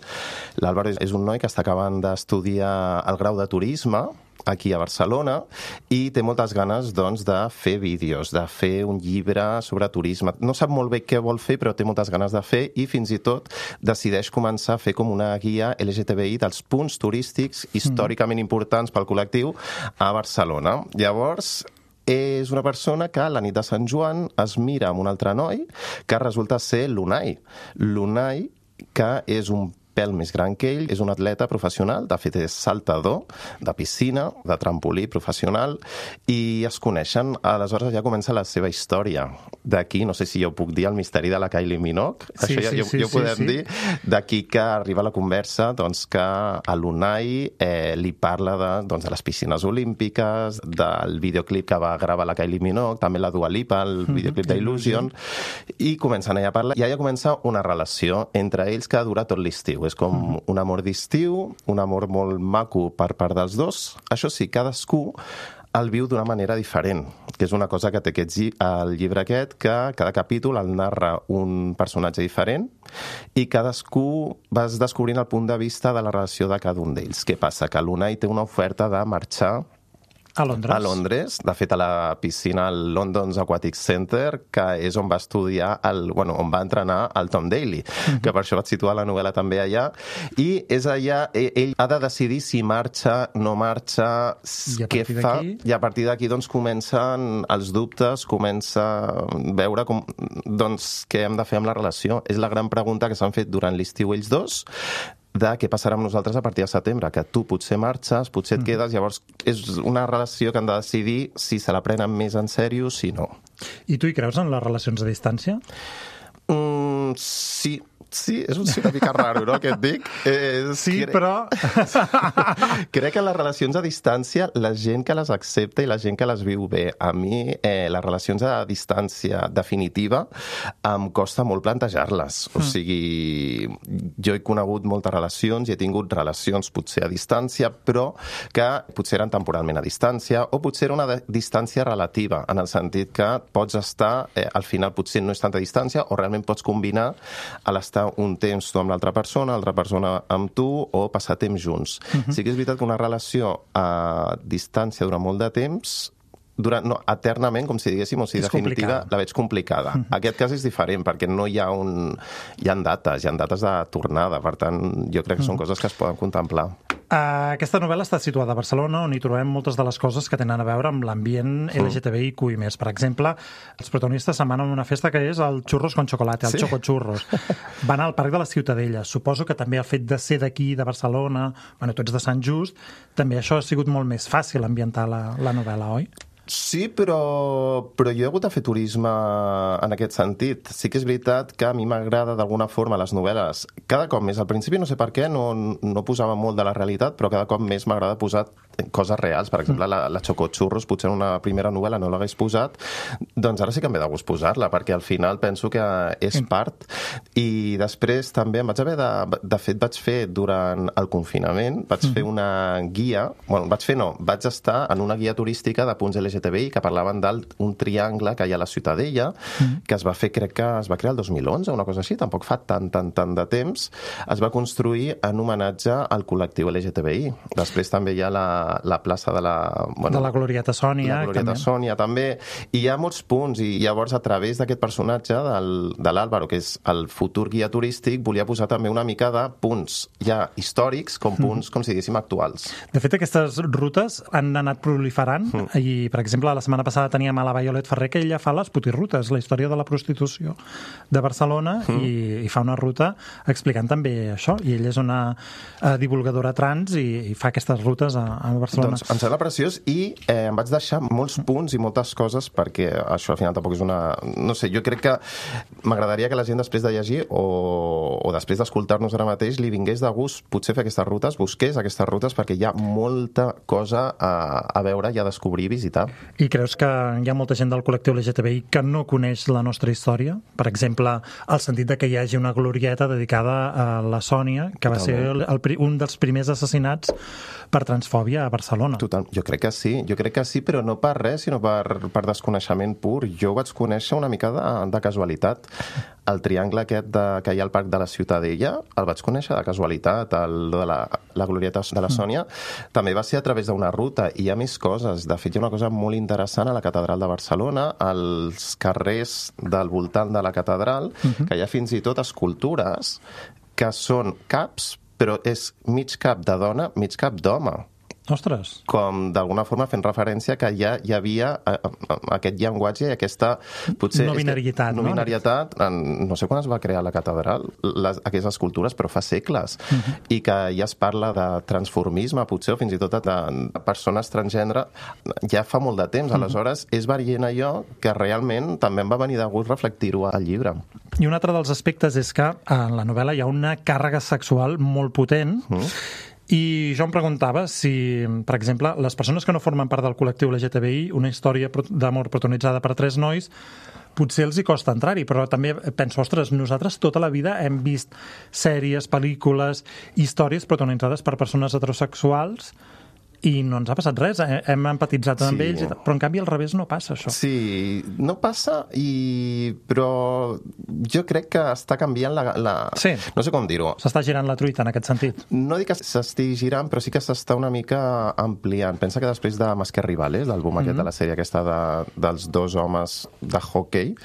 S12: L'Àlvaro és un noi que està acabant d'estudiar el grau de turisme aquí a Barcelona i té moltes ganes, doncs, de fer vídeos, de fer un llibre sobre turisme. No sap molt bé què vol fer, però té moltes ganes de fer i fins i tot decideix començar a fer com una guia LGTBI dels punts turístics històricament importants pel col·lectiu a Barcelona. Llavors, és una persona que la nit de Sant Joan es mira amb un altre noi que resulta ser l'Unai. L'Unai, que és un pèl més gran que ell, és un atleta professional, de fet és saltador de piscina, de trampolí professional, i es coneixen. Aleshores ja comença la seva història. D'aquí, no sé si jo puc dir el misteri de la Kylie Minogue, això ja ho podem dir, d'aquí que arriba la conversa que a l'Unai li parla de les piscines olímpiques, del videoclip que va gravar la Kylie Minogue, també la Dua Lipa, el videoclip d'Illusion, i comencen allà a parlar, i allà comença una relació entre ells que dura tot l'estiu. És com un amor d'estiu, un amor molt maco per part dels dos. Això sí, cadascú el viu d'una manera diferent, que és una cosa que té el llibre aquest, que cada capítol el narra un personatge diferent i cadascú vas descobrint el punt de vista de la relació de cada un d'ells. Què passa? Que l'Unai té una oferta de marxar a Londres, de fet a la piscina al London's Aquatic Center, que és on va estudiar, on va entrenar el Tom Daley, que per això vaig situar la novel·la també allà, i és allà, ell ha de decidir si marxa, no marxa, què fa, i a partir d'aquí doncs comencen els dubtes, comença a veure què hem de fer amb la relació. És la gran pregunta que s'han fet durant l'estiu ells dos, de què passarà amb nosaltres a partir de setembre, que tu potser marxes, potser et quedes, llavors és una relació que han de decidir si se la prenen més en sèrio, si no.
S4: I tu hi creus en les relacions a distància?
S12: Sí, és una mica raro, no?, que et dic.
S4: Però...
S12: Crec que les relacions a distància, la gent que les accepta i la gent que les viu bé. A mi, les relacions a distància definitiva em costa molt plantejar-les. O sigui, jo he conegut moltes relacions i he tingut relacions potser a distància, però que potser eren temporalment a distància o potser era una distància relativa, en el sentit que pots estar, al final potser no és tanta distància o realment pots combinar a l'estar un temps tu amb l'altra persona amb tu, o passar temps junts. Sí que és veritat que una relació a distància durant molt de temps, eternament, com si diguéssim, o sigui, definitiva, la veig complicada. Aquest cas és diferent, perquè no hi ha hi ha dates de tornada, per tant, jo crec que són coses que es poden contemplar.
S4: Aquesta novel·la està situada a Barcelona, on hi trobem moltes de les coses que tenen a veure amb l'ambient LGTBIQ+. Per exemple, els protagonistes se'n van a una festa que és el Churros con Chocolate, el Chocochurros. Van al Parc de la Ciutadella. Suposo que també el fet de ser d'aquí, de Barcelona, tu ets de Sant Just, també això ha sigut molt més fàcil ambientar la novel·la, oi?
S12: Sí, però jo he hagut de fer turisme en aquest sentit. Sí que és veritat que a mi m'agrada d'alguna forma les novel·les. Cada cop més, al principi no sé per què, no posava molt de la realitat, però cada cop més m'agrada posar coses reals. Per exemple, la Chocochurros, potser en una primera novel·la no l'hagués posat, doncs ara sí que em ve de gust posar-la, perquè al final penso que és part. I després també em vaig haver de fet, vaig fer durant el confinament, vaig fer una guia, vaig estar en una guia turística de punts LGTBI LGTBI que parlaven d'un triangle que hi ha a la Ciutadella, que es va fer, crec que es va crear el 2011, una cosa així, tampoc fa tant de temps. Es va construir en homenatge al col·lectiu LGTBI. Després també hi ha la plaça de la
S4: Glorieta Sònia.
S12: La Glorieta Sònia, també. I hi ha molts punts, i llavors a través d'aquest personatge de l'Àlvaro, que és el futur guia turístic, volia posar també una mica de punts ja històrics com punts, com si diguéssim, actuals.
S4: De fet, aquestes rutes han anat proliferant i, per exemple, la setmana passada teníem a la Violet Ferrer, que ella fa les putirrutes, la història de la prostitució de Barcelona, i fa una ruta explicant també això, i ella és una divulgadora trans i fa aquestes rutes a Barcelona.
S12: Doncs em sembla preciós i em vaig deixar molts punts i moltes coses perquè això al final tampoc és una... No sé, jo crec que m'agradaria que la gent després de llegir o després d'escoltar-nos ara mateix li vingués de gust potser fer aquestes rutes, busqués aquestes rutes perquè hi ha molta cosa a veure i a descobrir i visitar.
S4: I creus que hi ha molta gent del col·lectiu LGTBI que no coneix la nostra història? Per exemple, el sentit de que hi hagi una glorieta dedicada a la Sònia, que va ser un dels primers assassinats per transfòbia a Barcelona.
S12: Total, jo crec que sí, però no per res, sinó per desconeixement pur. Jo ho vaig conèixer una mica de casualitat. El triangle aquest que hi ha al Parc de la Ciutadella el vaig conèixer de casualitat, de la glorieta de la Sònia. També va ser a través d'una ruta, i hi ha més coses. De fet, hi ha una cosa molt interessant a la Catedral de Barcelona, als carrers del voltant de la catedral, que hi ha fins i tot escultures que són caps, però és mig cap de dona, mig cap d'home.
S4: Ostres.
S12: Com d'alguna forma fent referència que ja hi havia aquest llenguatge i aquesta potser
S4: no binarietat,
S12: no sé quan es va crear la catedral, aquestes escultures, però fa segles, i que ja es parla de transformisme, potser, o fins i tot de persones transgènere, ja fa molt de temps. Aleshores, és veient allò que realment també em va venir de gust reflectir-ho al llibre.
S4: I un altre dels aspectes és que en la novel·la hi ha una càrrega sexual molt potent. I jo em preguntava si, per exemple, les persones que no formen part del col·lectiu LGTBI, una història d'amor protagonitzada per 3 nois, potser els hi costa entrar-hi, però també penso, ostres, nosaltres tota la vida hem vist sèries, pel·lícules, històries protagonitzades per persones heterosexuals i no ens ha passat res, hem empatitzat amb ells, però en canvi al revés no passa això.
S12: Sí, no passa, però jo crec que està canviant
S4: Sí.
S12: No sé com dir-ho.
S4: S'està girant la truita en aquest sentit.
S12: No dic que s'estigui girant, però sí que s'està una mica ampliant. Pensa que després de Más que Rivales, l'àlbum aquest de la sèrie aquesta dels 2 homes de hockey,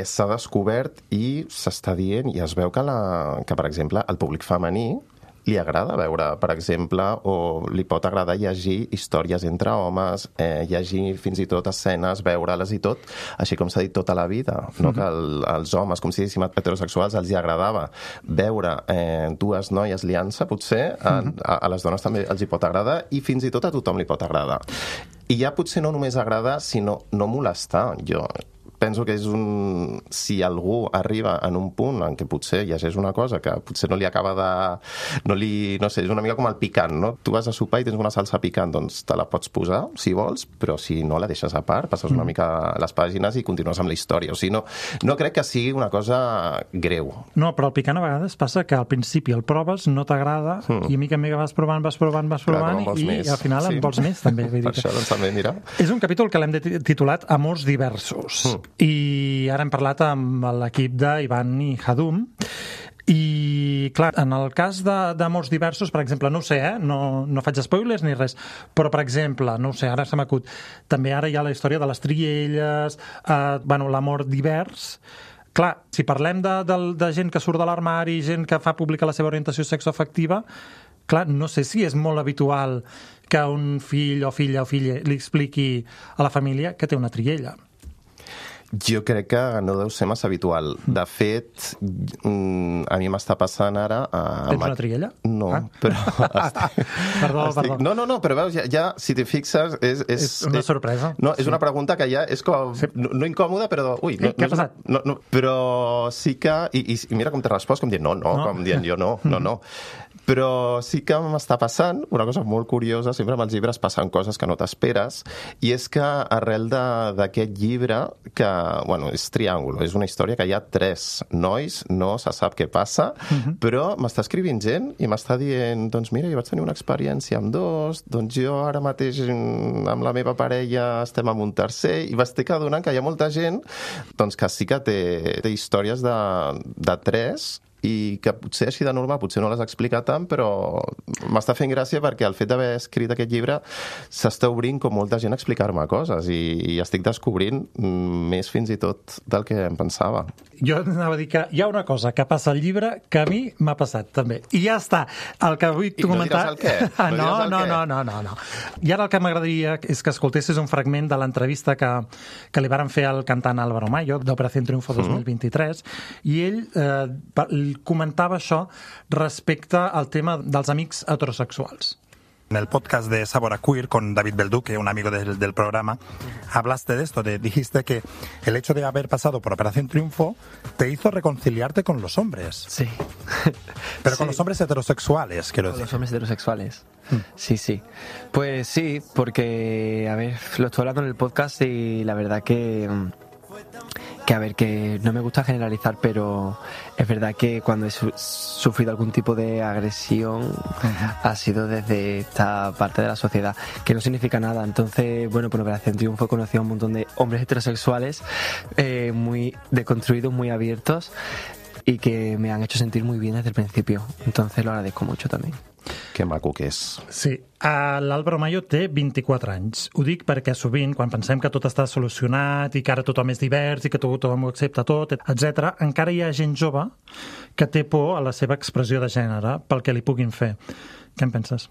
S12: s'ha descobert i s'està dient, i es veu que, per exemple, el públic femení li agrada veure, per exemple, o li pot agradar llegir històries entre homes, llegir fins i tot escenes, veure-les i tot, així com s'ha dit tota la vida, no? Que als homes, com si diguéssim heterosexuals, els hi agradava veure 2 noies liant-se, potser a les dones també els hi pot agradar i fins i tot a tothom li pot agradar. I ja potser no només agradar, sinó no molestar. Jo penso que és si algú arriba en un punt en què potser llegeix una cosa que potser no li acaba no sé, és una mica com el picant, no? Tu vas a sopar i tens una salsa picant, doncs te la pots posar, si vols, però si no la deixes a part, passes una mica les pàgines i continues amb la història. O sigui, no crec que sigui una cosa greu.
S4: No, però el picant a vegades passa que al principi el proves, no t'agrada, i a mica en mica vas provant, i al final en vols més, també.
S12: Per això, doncs també, mira.
S4: És un capítol que l'hem titulat Amors diversos. I ara hem parlat amb l'equip d'Ivan i Hadum i, clar, en el cas d'amors diversos, per exemple, no ho sé, no faig spoilers ni res, però, per exemple, no ho sé, ara se m'acut, també ara hi ha la història de les trielles, l'amor divers. Clar, si parlem de gent que surt de l'armari, gent que fa pública la seva orientació sexoafectiva, clar, no sé si és molt habitual que un fill o filla li expliqui a la família que té una triella.
S12: Jo crec que no deu ser massa habitual. De fet, a mi m'està passant ara...
S4: Tens una triella?
S12: No, però...
S4: Perdó.
S12: No, però veus, ja si t'hi fixes...
S4: És una sorpresa.
S12: No, és una pregunta que ja és com... No incòmoda, però... Ui,
S4: què ha passat?
S12: No, però sí que... I mira com t'he respost, com dient no, com dient jo no. Però sí que m'està passant una cosa molt curiosa, sempre amb els llibres passen coses que no t'esperes, i és que arrel d'aquest llibre, que, bueno, és Triàngulo, és una història que hi ha 3 nois, no se sap què passa, però m'està escrivint gent i m'està dient, doncs mira, jo vaig tenir una experiència amb 2, doncs jo ara mateix amb la meva parella estem amb un tercer, i m'estic adonant que hi ha molta gent doncs, que sí que té històries de 3, i que potser així de normal, potser no les explica tant, però m'està fent gràcia perquè el fet d'haver escrit aquest llibre s'està obrint com molta gent a explicar-me coses i estic descobrint més fins i tot del que em pensava.
S4: Jo anava a dir que hi ha una cosa que passa al llibre que a mi m'ha passat també. I ja està. El que vull comentar...
S12: I no diràs el què?
S4: No. I ara el que m'agradaria és que escoltessis un fragment de l'entrevista que li varen fer al cantant Álvaro Mayo d'Operación Triunfo 2023 i ell comentava això respecte al tema dels amics heterosexuals.
S15: En el podcast de Sabor a Queer con David Belduque, un amigo del programa, hablaste de esto, dijiste que el hecho de haber pasado por Operación Triunfo te hizo reconciliarte con los hombres.
S16: Sí.
S15: Pero con los hombres heterosexuales, quiero decir.
S16: Con los hombres heterosexuales. Sí. Pues sí, porque, a ver, lo estoy hablando en el podcast y la verdad que a ver, que no me gusta generalizar, pero es verdad que cuando he sufrido algún tipo de agresión ha sido desde esta parte de la sociedad, que no significa nada. Entonces, bueno, por Operación Triunfo he conocido a un montón de hombres heterosexuales muy deconstruidos, muy abiertos y que me han hecho sentir muy bien desde el principio. Entonces lo agradezco mucho también.
S12: Que maco que és.
S4: Sí, l'Álvaro Mayo té 24 anys. Ho dic perquè sovint, quan pensem que tot està solucionat i que ara tothom és divers i que tothom ho accepta tot, etc., encara hi ha gent jove que té por a la seva expressió de gènere pel que li puguin fer. Què en penses?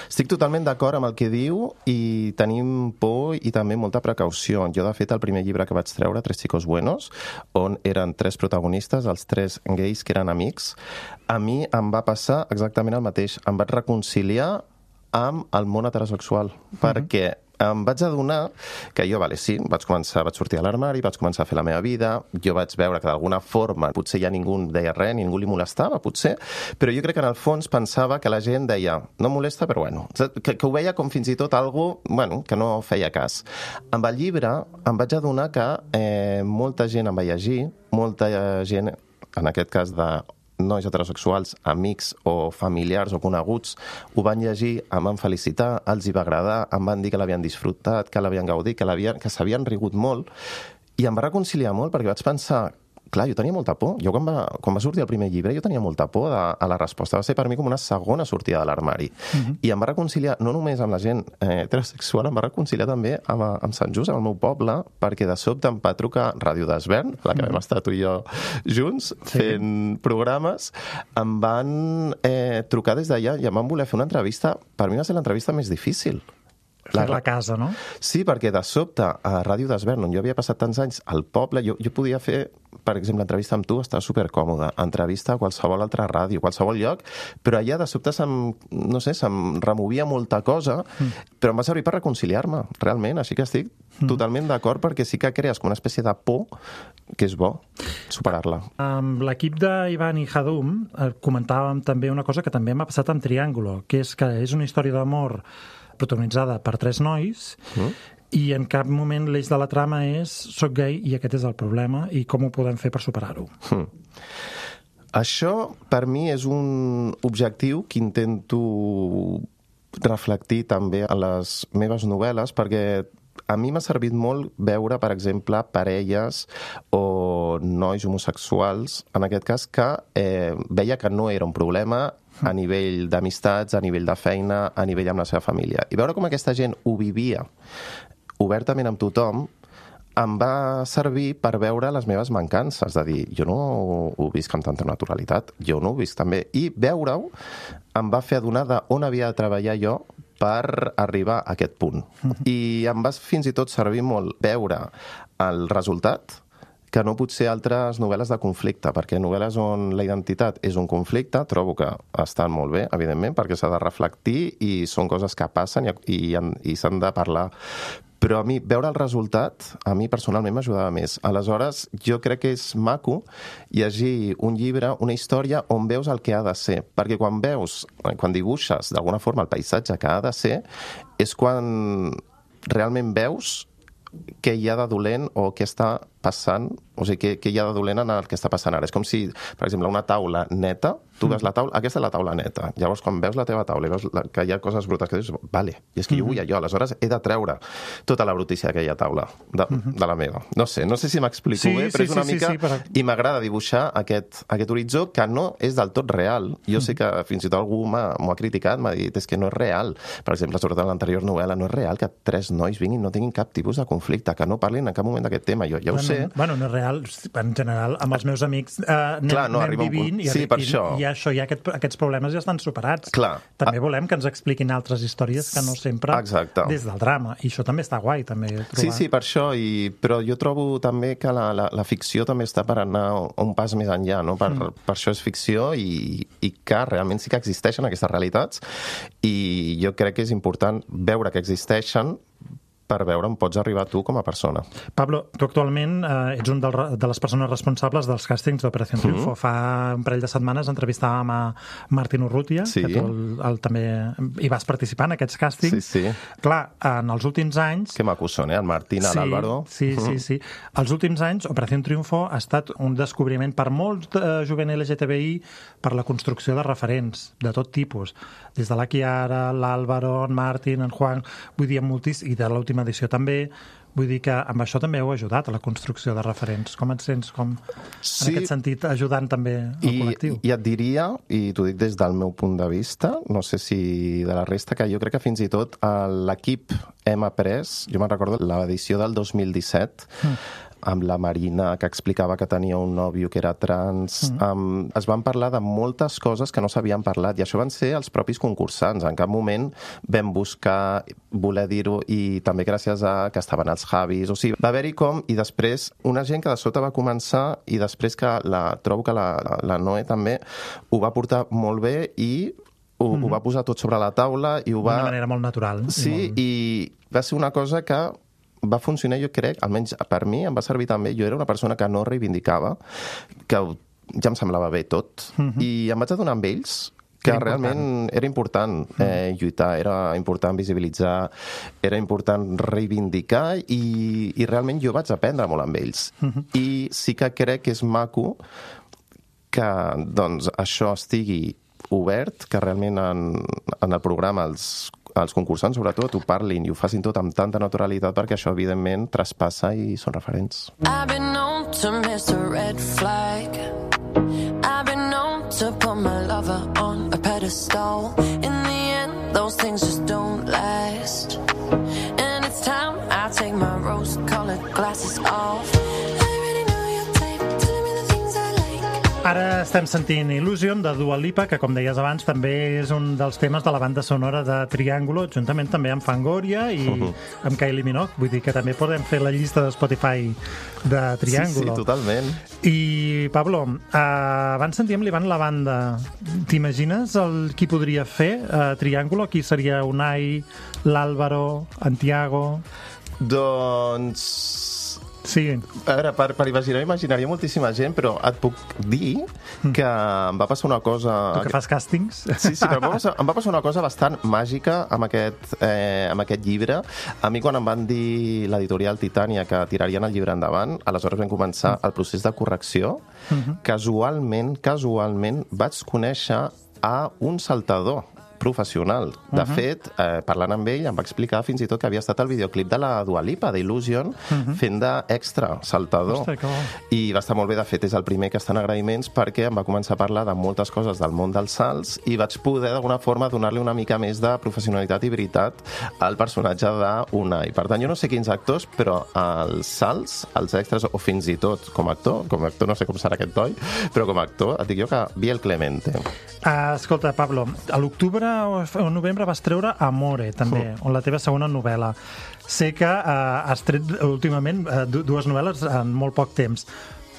S12: Estic totalment d'acord amb el que diu i tenim por i també molta precaució. Jo, de fet, el primer llibre que vaig treure, Tres chicos buenos, on eren 3 protagonistes, els 3 gais que eren amics, a mi em va passar exactament el mateix. Em vaig reconciliar amb el món heterosexual, perquè em vaig adonar que jo, vaig sortir a l'armari, vaig començar a fer la meva vida, jo vaig veure que d'alguna forma potser ja ningú deia res, ningú li molestava, potser, però jo crec que en el fons pensava que la gent deia, no molesta, però bueno, que ho veia com fins i tot algo, bueno, que no feia cas. Amb el llibre em vaig adonar que molta gent em va llegir, molta gent, en aquest cas de nois heterosexuals, amics o familiars o coneguts, ho van llegir, em van felicitar, els hi va agradar, em van dir que l'havien disfrutat, que l'havien gaudit, que s'havien rigut molt, i em va reconciliar molt perquè vaig pensar, clar, jo tenia molta por. Jo quan va sortir el primer llibre jo tenia molta por a la resposta. Va ser per mi com una segona sortida de l'armari. I em va reconciliar no només amb la gent heterosexual, em va reconciliar també amb Sant Just, amb el meu poble, perquè de sobte em va trucar Ràdio d'Esvern, la que vam estar tu i jo junts fent programes, em van trucar des d'allà i em van voler fer una entrevista. Per mi va ser l'entrevista més difícil.
S4: La casa, no?
S12: Sí, perquè de sobte a Ràdio d'Esvern, on jo havia passat tants anys al poble, jo podia fer, per exemple, entrevista amb tu, estava supercòmode, entrevista a qualsevol altra ràdio, qualsevol lloc, però allà de sobte se'm removia molta cosa, però em va servir per reconciliar-me, realment, així que estic totalment d'acord perquè sí que crees com una espècie de por que és bo superar-la.
S4: Amb l'equip d'Ivan i Hadum comentàvem també una cosa que també m'ha passat amb Triàngulo, que és una història d'amor protagonitzada per 3 nois i en cap moment l'eix de la trama és soc gai i aquest és el problema i com ho podem fer per superar-ho.
S12: Això per mi és un objectiu que intento reflectir també a les meves novel·les perquè a mi m'ha servit molt veure, per exemple, parelles o nois homosexuals, en aquest cas, que veia que no era un problema a nivell d'amistats, a nivell de feina, a nivell amb la seva família. I veure com aquesta gent ho vivia obertament amb tothom em va servir per veure les meves mancances, de dir, jo no ho visc amb tanta naturalitat, jo no ho visc també. I veure-ho em va fer adonar d'on havia de treballar jo per arribar a aquest punt. I em va fins i tot servir molt veure el resultat que no pot ser altres novel·les de conflicte, perquè novel·les on la identitat és un conflicte, trobo que estan molt bé, evidentment, perquè s'ha de reflectir i són coses que passen i s'han de parlar. però a mi veure el resultat, a mi personalment m'ajudava més. Aleshores, jo crec que és maco llegir un llibre, una història on veus el que ha de ser, perquè quan dibuixes d'alguna forma el paisatge que ha de ser, és quan realment veus què hi ha de dolent o què està passant, o sigui, què hi ha de dolent en el que està passant ara. És com si, per exemple, una taula neta, tu veus la taula, aquesta és la taula neta. Llavors, quan veus la teva taula i veus que hi ha coses brutes que dius, vale, i és que jo vull allò, aleshores he de treure tota la brutícia d'aquella taula, de la meva. No sé si m'explico bé, però és una mica... I m'agrada dibuixar aquest horitzó que no és del tot real. Jo sé que fins i tot algú m'ho ha criticat, m'ha dit, és que no és real. Per exemple, sobretot en l'anterior novel·la, no és real que 3 nois vinguin, no tinguin cap tipus de conflicte, que no parlin en cap moment d'aquest tema. Jo ja ho sé.
S4: Bueno, no és real, en general, amb els meus amics anem vivint i ja aquests problemes ja estan superats. També volem que ens expliquin altres històries que no sempre des del drama, i això també està guai, també trobar.
S12: Sí, per això, però jo trobo també que la ficció també està per anar un pas més enllà, no? Per això és ficció i que realment sí que existeixen aquestes realitats, i jo crec que és important veure que existeixen per veure on pots arribar tu com a persona.
S4: Pablo, tu actualment ets un de les persones responsables dels càstings d'Operació Triunfo. Fa un parell de setmanes entrevistàvem a Martín Urrutia, que tu també hi vas participar en aquests càstings.
S12: Sí.
S4: Clar, en els últims anys...
S12: Que macos són, el Martín, l'Àlvaro...
S4: Sí. Els últims anys, Operació Triunfo ha estat un descobriment per molts jovent LGTBI per la construcció de referents de tot tipus. Des de la Chiara, l'Àlvaro, en Martín, en Juan... Vull dir, moltíssim, i de l'última edició també. Vull dir que amb això també heu ajudat a la construcció de referents. Com et sents en aquest sentit ajudant també al col·lectiu?
S12: I et diria, i t'ho dic des del meu punt de vista, no sé si de la resta, que jo crec que fins i tot l'equip hem après, jo me'n recordo l'edició del 2017, amb la Marina, que explicava que tenia un nòvio que era trans. Es van parlar de moltes coses que no s'havien parlat, i això van ser els propis concursants. En cap moment vam buscar voler dir-ho, i també gràcies a que estaven els Javis. O sigui, va haver-hi i després una gent que de sota va començar, i després que trobo que la Noé també ho va portar molt bé, i ho va posar tot sobre la taula, i ho va...
S4: D'una manera molt natural.
S12: Sí, i va ser una cosa que va funcionar, jo crec, almenys per mi, em va servir també. Jo era una persona que no reivindicava, que ja em semblava bé tot, i em vaig adonar amb ells que realment era important lluitar, era important visibilitzar, era important reivindicar, i realment jo vaig aprendre molt amb ells. I sí que crec que és maco que doncs, això estigui obert, que realment en el programa els concursants, sobretot, ho parlin i ho facin tot amb tanta naturalitat, perquè això, evidentment, traspassa i són referents.
S8: I've been known to miss a red flag. I've been known to put my lover on a pedestal. In the end, those things just don't last. And it's time I take my rose-colored glasses off.
S4: Ara estem sentint Illusion, de Dua Lipa, que, com deies abans, també és un dels temes de la banda sonora de Triángulo, juntament també amb Fangoria i amb Kylie Minogue. Vull dir que també podem fer la llista de Spotify de Triángulo.
S12: Sí, totalment.
S4: I, Pablo, abans sentíem l'Ivan la banda. T'imagines qui podria fer Triángulo? Qui seria Unai, l'Àlvaro, en Tiago?
S12: Doncs...
S4: Sí.
S12: A veure, per imaginaria moltíssima gent, però et puc dir que em va passar una cosa...
S4: Tu que fas càstings?
S12: Sí, però em va passar una cosa bastant màgica amb aquest llibre. A mi, quan em van dir l'editorial Titània que tirarien el llibre endavant, aleshores vam començar el procés de correcció. Casualment vaig conèixer a un saltador professional. De fet, parlant amb ell, em va explicar fins i tot que havia estat el videoclip de la Dua Lipa, d'Illusion, fent d'extra saltador. I va estar molt bé. De fet, és el primer que està en agraïments, perquè em va començar a parlar de moltes coses del món dels salts, i vaig poder, d'alguna forma, donar-li una mica més de professionalitat i veritat al personatge d'Unai. Per tant, jo no sé quins actors, però els salts, els extras, o fins i tot com a actor no sé com serà aquest toi, però com a actor, et dic jo que Biel Clemente.
S4: Escolta, Pablo, a l'octubre o novembre vas treure Amore, també, on la teva segona novel·la. Sé que has tret últimament dues novel·les en molt poc temps,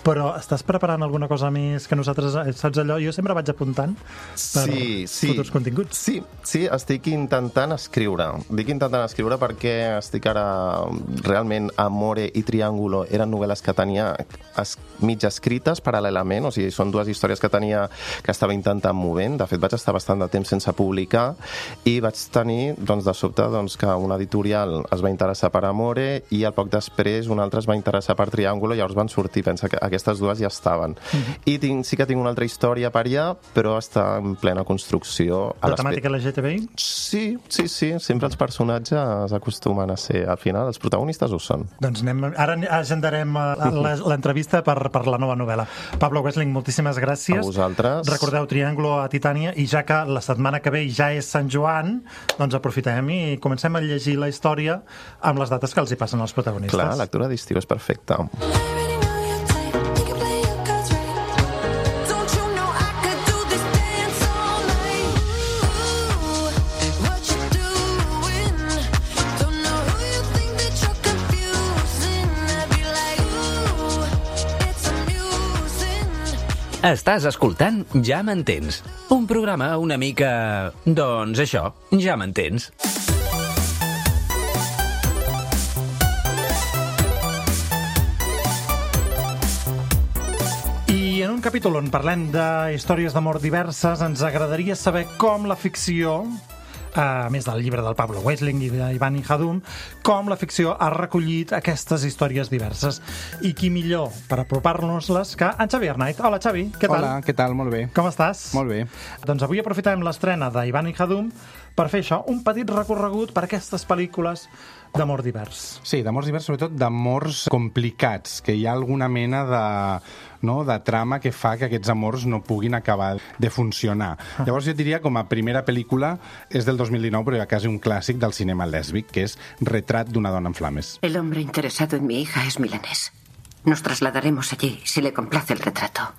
S4: però estàs preparant alguna cosa més que nosaltres, saps allò? Jo sempre vaig apuntant per futurs continguts.
S12: Sí, estic intentant escriure. Dic intentant escriure perquè estic ara realment Amore i Triángulo eren novel·les que tenia mig escrites paral·lelament, o sigui, són dues històries que estava intentant movent. De fet, vaig estar bastant de temps sense publicar i vaig tenir, de sobte, que una editorial es va interessar per Amore i al poc després un altre es va interessar per Triángulo, i llavors van sortir, pensa que aquestes dues ja estaven. I sí que tinc una altra història per allà, però està en plena construcció.
S4: La temàtica LGTBI?
S12: Sí. Sempre els personatges acostumen a ser, al final, els protagonistes ho són.
S4: Doncs ara agendarem l'entrevista per la nova novel·la. Pablo Wessling, moltíssimes gràcies.
S12: A vosaltres.
S4: Recordeu Triángulo a Titània, i ja que la setmana que ve ja és Sant Joan, doncs aprofitem i comencem a llegir la història amb les dates que els hi passen als protagonistes.
S12: Clar, la lectura d'estiu és perfecta.
S3: Estàs escoltant Ja m'entens, un programa una mica... doncs això, ja m'entens.
S4: I en un capítol on parlem de històries d'amor diverses, ens agradaria saber com la ficció, a més del llibre del Pablo Wessling i d'Ivan Hadum, com la ficció ha recollit aquestes històries diverses. I qui millor per apropar-nos-les que en Xavi Arnaiz. Hola, Xavi, què tal?
S17: Hola, què tal? Molt bé.
S4: Com estàs?
S17: Molt bé.
S4: Doncs avui aprofitem l'estrena d'Ivan Hadum per fer això, un petit recorregut per aquestes pel·lícules d'amor divers.
S17: Sí, d'amors divers, sobretot d'amors complicats, que hi ha alguna mena de trama que fa que aquests amors no puguin acabar de funcionar. Llavors jo diria, com a primera pel·lícula, és del 2019, però ja quasi un clàssic del cinema lèsbic, que és Retrat d'una dona en flames.
S18: El hombre interesado en mi hija es milanés. Nos trasladaremos allí si le complace el retrato.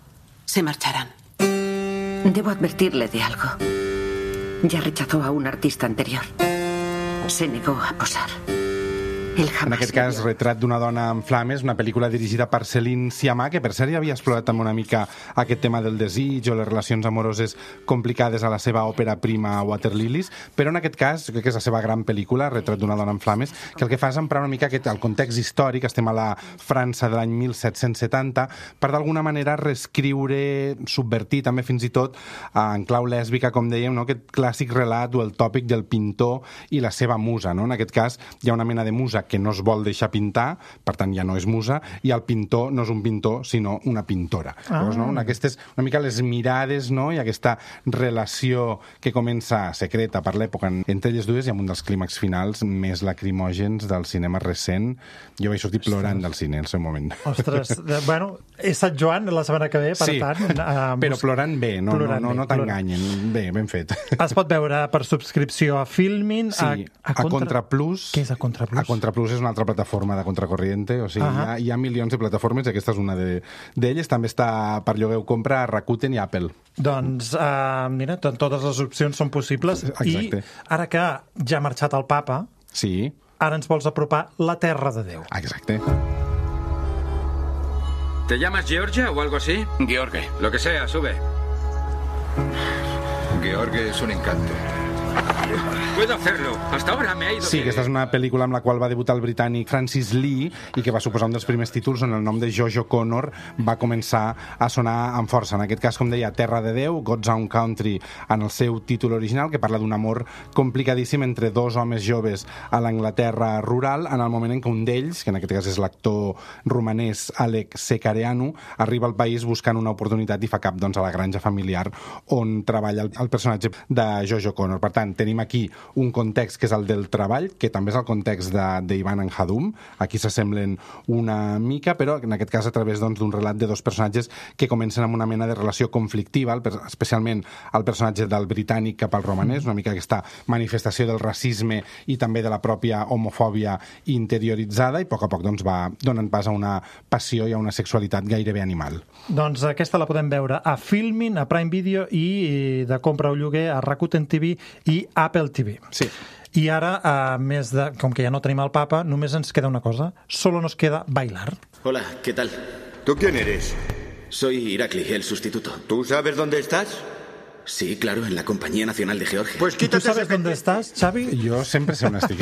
S18: Se marcharán. Debo advertirle de algo. Ya rechazó a un artista anterior. Se negó a posar.
S17: En aquest cas, Retrat d'una dona en flames, una pel·lícula dirigida per Céline Sciamma, que per cert ja havia explorat també una mica aquest tema del desig o les relacions amoroses complicades a la seva òpera prima Water Lilies, però en aquest cas, crec que és la seva gran pel·lícula, Retrat d'una dona en flames, que el que fa és emprar una mica el context històric, estem a la França de l'any 1770, per d'alguna manera reescriure, subvertir també fins i tot en clau lèsbica, com dèiem, aquest clàssic relat o el tòpic del pintor i la seva musa. En aquest cas hi ha una mena de musa que no es vol deixar pintar, per tant ja no és musa, i el pintor no és un pintor, sinó una pintora. Llavors, aquestes, una mica les mirades, i aquesta relació que comença secreta per l'època entre elles dues, i amb un dels clímax finals més lacrimògens del cinema recent. Jo vaig sortir plorant del cine en el seu moment.
S4: Ostres, bueno, és Sant Joan la setmana que ve, per tant...
S17: Però plorant bé, no t'enganyen. Bé, ben fet.
S4: Es pot veure per subscripció a Filmin,
S17: a Contraplus.
S4: Què és a Contraplus?
S17: A Contraplus és una altra plataforma de contracorriente, o sigui, hi ha milions de plataformes, aquesta és una d'elles, també està per lloguer o compra a Rakuten i Apple.
S4: Doncs, mira, totes les opcions són possibles.
S17: Exacte.
S4: I ara que ja ha marxat el papa, ara ens vols apropar la terra de Déu.
S17: Exacte.
S19: ¿Te llamas Georgia o algo así?
S20: George.
S19: Lo que sea, sube.
S20: George es un encanto.
S19: Puedo hacerlo. Hasta ahora me ha ido
S17: Sí, aquesta és una pel·lícula amb la qual va debutar el britànic Francis Lee i que va suposar un dels primers títols on el nom de Jojo Connor va començar a sonar amb força. En aquest cas, com deia, Terra de Déu, God's Own Country, en el seu títol original, que parla d'un amor complicadíssim entre dos homes joves a l'Anglaterra rural, en el moment en què un d'ells, que en aquest cas és l'actor romanès Alec Secareanu, arriba al país buscant una oportunitat i fa cap a la granja familiar on treballa el personatge de Jojo Connor. Per tant, tenim aquí un context que és el del treball, que també és el context d'Ivan Hadum. Aquí s'assemblen una mica, però en aquest cas a través d'un relat de dos personatges que comencen amb una mena de relació conflictiva, especialment el personatge del britànic cap al romanès, una mica aquesta manifestació del racisme i també de la pròpia homofòbia interioritzada, i a poc va donant pas a una passió i a una sexualitat gairebé animal.
S4: Doncs aquesta la podem veure a Filmin, a Prime Video i de compra o lloguer a Rakuten TV i Apple TV.
S17: Sí.
S4: I ara, com que ja no tenim el papa, només ens queda una cosa. Solo nos queda bailar.
S21: Hola, ¿qué tal?
S20: ¿Tú quién eres?
S21: Soy Irakli, el sustituto.
S20: ¿Tú sabes dónde estás?
S21: Sí, claro, en la Compañía Nacional de Georgia.
S20: Pues
S4: ¿Tú sabes dónde estàs, Xavi?
S17: Jo sempre sé on estic.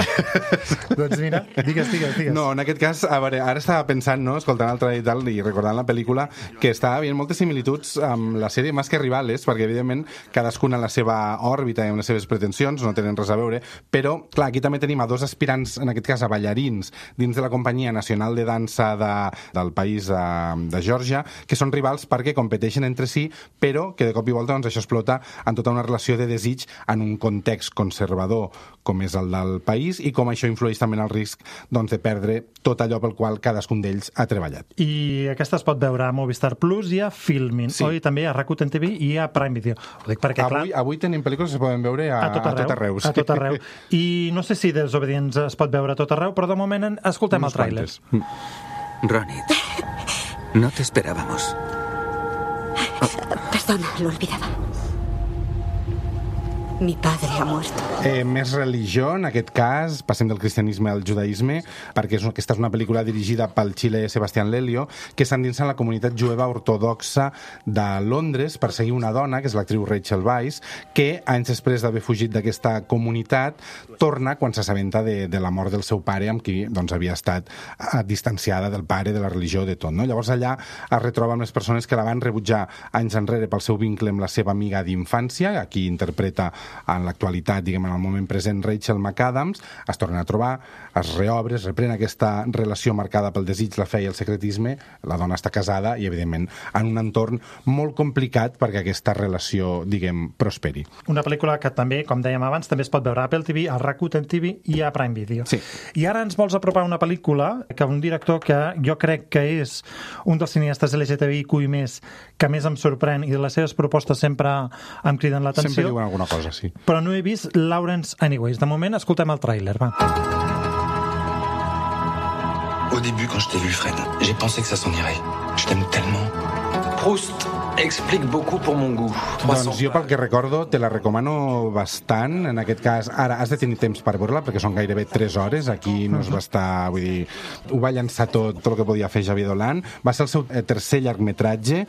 S4: Doncs mira, digues.
S17: No, en aquest cas, a veure, ara estava pensant, no, escoltant el trailer i tal, i recordant la pel·lícula, que estava havent moltes similituds amb la sèrie Más que Rivales, perquè, evidentment, cadascuna en la seva òrbita i amb les seves pretensions, no tenen res a veure, però, clar, aquí també tenim a dos aspirants, en aquest cas a ballarins, dins de la Companyia Nacional de Dansa del país de Geòrgia, que són rivals perquè competeixen entre si, però que de cop i volta doncs, això explota en tota una relació de desig en un context conservador com és el del país i com això influeix també en el risc doncs, de perdre tot allò pel qual cadascun d'ells ha treballat.
S4: I aquesta es pot veure a Movistar Plus i a Filmin, sí. Oi? També a Rakuten TV i a Prime Video. Ho dic perquè,
S17: avui tenim pel·lícules que es poden veure a tot arreu.
S4: A tot arreu. I no sé si Desobedients es pot veure a tot arreu, però de moment escoltem el tràiler.
S22: Ronit, no te esperábamos.
S23: Perdona, lo olvidaba. Mi padre ha muerto.
S17: Més religió, en aquest cas, passem del cristianisme al judaïsme, perquè aquesta és una pel·lícula dirigida pel xilè Sebastián Lelio, que s'endinsa en la comunitat jueva ortodoxa de Londres per seguir una dona, que és l'actriu Rachel Weisz, que anys després d'haver fugit d'aquesta comunitat, torna quan s'assabenta de la mort del seu pare, amb qui doncs, havia estat distanciada del pare, de la religió, de tot. No? Llavors allà es retroba amb les persones que la van rebutjar anys enrere pel seu vincle amb la seva amiga d'infància, a qui interpreta en l'actualitat, diguem, en el moment present, Rachel McAdams, es tornen a trobar, es reobre, es reprèn aquesta relació marcada pel desig, la fe i el secretisme, la dona està casada i, evidentment, en un entorn molt complicat perquè aquesta relació, diguem, prosperi.
S4: Una pel·lícula que també, com dèiem abans, també es pot veure a Apple TV, a Rakuten TV i a Prime Video.
S17: Sí.
S4: I ara ens vols apropar una pel·lícula que un director que jo crec que és un dels cineastes LGTBIQ+, que més em sorprèn i de les seves propostes sempre em criden l'atenció.
S17: Sempre diuen alguna cosa, sí.
S4: Però no he vist Lawrence Anyways. De moment, escoltem el tràiler, va.
S24: Au début, quand je t'ai vu, Fred, j'ai pensé que ça s'en irait. Je t'aime tellement. Proust explique beaucoup pour mon goût.
S17: Doncs jo pel que recordo te la recomano bastant. En aquest cas, ara has de tenir temps per veure-la perquè són gairebé 3 hores. Aquí no es va estar, vull dir, ho va llançar tot el que podia fer Xavier Dolan. Va ser el seu tercer llargmetratge,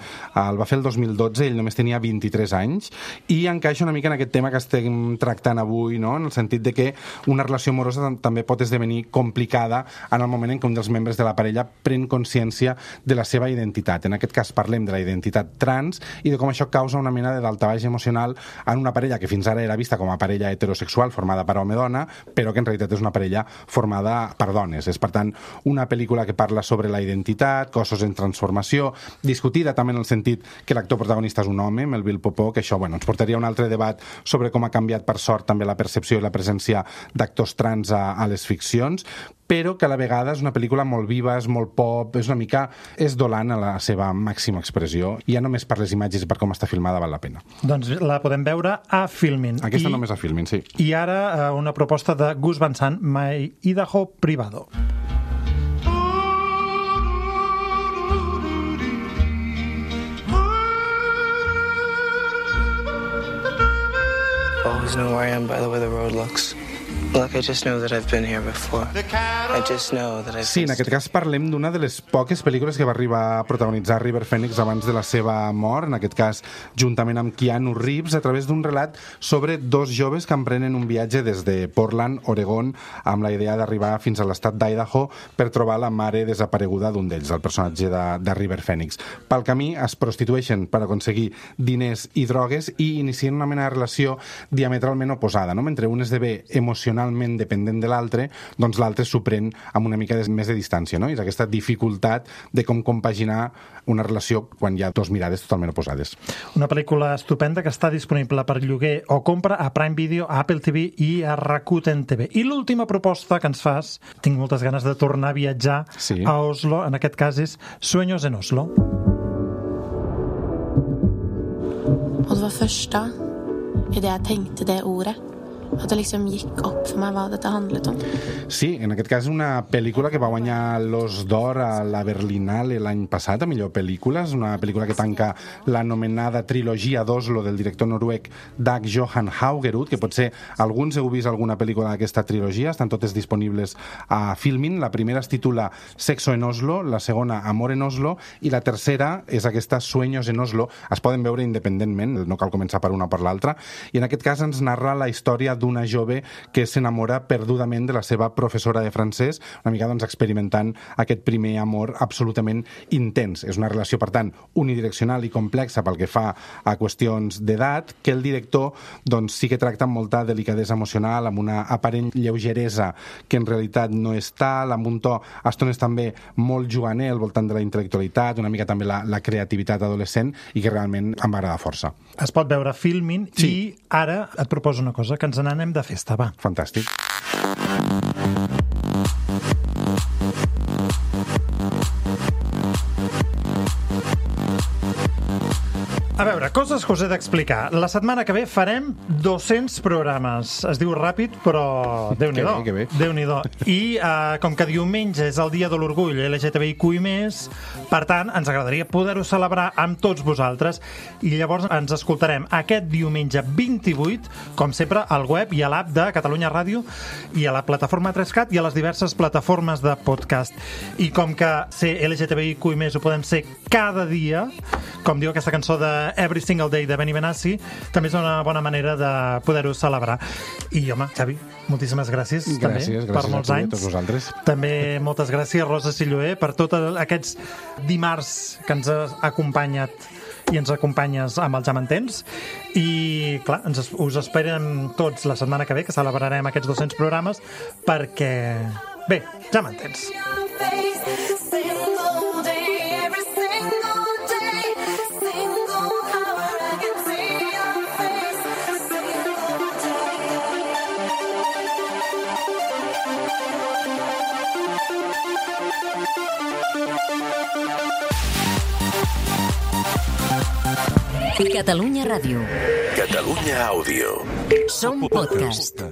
S17: el va fer el 2012, ell només tenia 23 anys i encaixa una mica en aquest tema que estem tractant avui, no? En el sentit de que una relació amorosa també pot esdevenir complicada en el moment en què un dels membres de la parella pren consciència de la seva identitat. En aquest cas parlem de la identitat trans i de com això causa una mena de daltabaix emocional en una parella que fins ara era vista com a parella heterosexual formada per home-dona, però que en realitat és una parella formada per dones. És, per tant, una pel·lícula que parla sobre la identitat, cossos en transformació, discutida també en el sentit que l'actor protagonista és un home, Melville Popó, que això ens portaria a un altre debat sobre com ha canviat per sort també la percepció i la presència d'actors trans a les ficcions, però que a la vegada és una pel·lícula molt viva, és molt pop, és una mica... és Dolan a la seva màxima expressió, i ja només per les imatges i per com està filmada val la pena.
S4: Doncs la podem veure a Filmin.
S17: Aquesta només a Filmin, sí.
S4: I ara una proposta de Gus Van Sant, My Idaho Privado.
S25: Always know where I am by the way the road looks. Look, I just know that I've been here before. I just know that I've...
S17: Sí, en aquest cas parlem d'una de les poques pel·lícules que va arribar a protagonitzar River Phoenix abans de la seva mort, en aquest cas juntament amb Keanu Reeves, a través d'un relat sobre 2 joves que emprenen un viatge des de Portland, Oregon, amb la idea d'arribar fins a l'estat d'Idaho per trobar la mare desapareguda d'un d'ells, el personatge de River Phoenix. Pel camí es prostitueixen per aconseguir diners i drogues i inicien una mena de relació diametralment oposada, no? Mentre un esdevé emocionalment dependent de l'altre, doncs l'altre s'ho pren amb una mica més de distància, no? És aquesta dificultat de com compaginar una relació quan hi ha 2 mirades totalment oposades.
S4: Una pel·lícula estupenda que està disponible per lloguer o compra a Prime Video, a Apple TV i a Rakuten TV. I l'última proposta que ens fas, tinc moltes ganes de tornar a viatjar a Oslo, en aquest cas és Sueños en Oslo.
S26: Og det var første i det jeg tenkte det ordet.
S25: At det liksom gikk opp for meg hva dette handlet om.
S17: Sí, en aquest cas una pel·lícula que va guanyar l'Os d'Or a la Berlinale l'any passat, a millor pel·lícula. És una pel·lícula que tanca l'anomenada trilogia d'Oslo del director noruec Dag Johan Haugerud, que potser alguns heu vist alguna pel·lícula d'aquesta trilogia, estan totes disponibles a Filmin. La primera es titula Sexo en Oslo, la segona Amor en Oslo i la tercera és aquesta Sueños en Oslo. Es poden veure independentment, no cal començar per una o per l'altra, i en aquest cas ens narra la història d'una jove que s'enamora perdudament de la seva professora de francès, una mica doncs experimentant aquest primer amor absolutament intens. És una relació, per tant, unidireccional i complexa pel que fa a qüestions d'edat, que el director doncs sí que tracta amb molta delicadesa emocional, amb una aparent lleugeresa que en realitat no és tal, amb un to a estones també molt juganer al voltant de la intel·lectualitat, una mica també la creativitat adolescent, i que realment em va agradar força.
S4: Es pot veure Filmin i ara et proposo una cosa, que ens n'anem de festa, va.
S17: Fantàstic.
S4: A veure, coses que us he d'explicar. La setmana que ve farem 200 programes. Es diu ràpid, però Déu-n'hi-do.
S17: Que bé.
S4: Déu-n'hi-do. I com que diumenge és el dia de l'orgull LGTBIQ+, per tant, ens agradaria poder-ho celebrar amb tots vosaltres. I llavors ens escoltarem aquest diumenge 28, com sempre, al web i a l'app de Catalunya Ràdio i a la plataforma 3CAT i a les diverses plataformes de podcast. I com que ser LGTBIQ+, ho podem ser cada dia, com diu aquesta cançó de Every Single Day de Benny Benassi, també és una bona manera de poder-ho celebrar. I, home, Xavi, moltíssimes gràcies, també, per molts anys.
S17: Gràcies a tots vosaltres.
S4: També moltes gràcies, Rosa Silloé, per tots aquests dimarts que ens has acompanyat i ens acompanyes amb el Ja m'entens. I, clar, us esperem tots la setmana que ve, que celebrarem aquests 200 programes, perquè, bé, Ja m'entens.
S1: Catalunya Ràdio.
S2: Catalunya Àudio.
S1: Som podcast.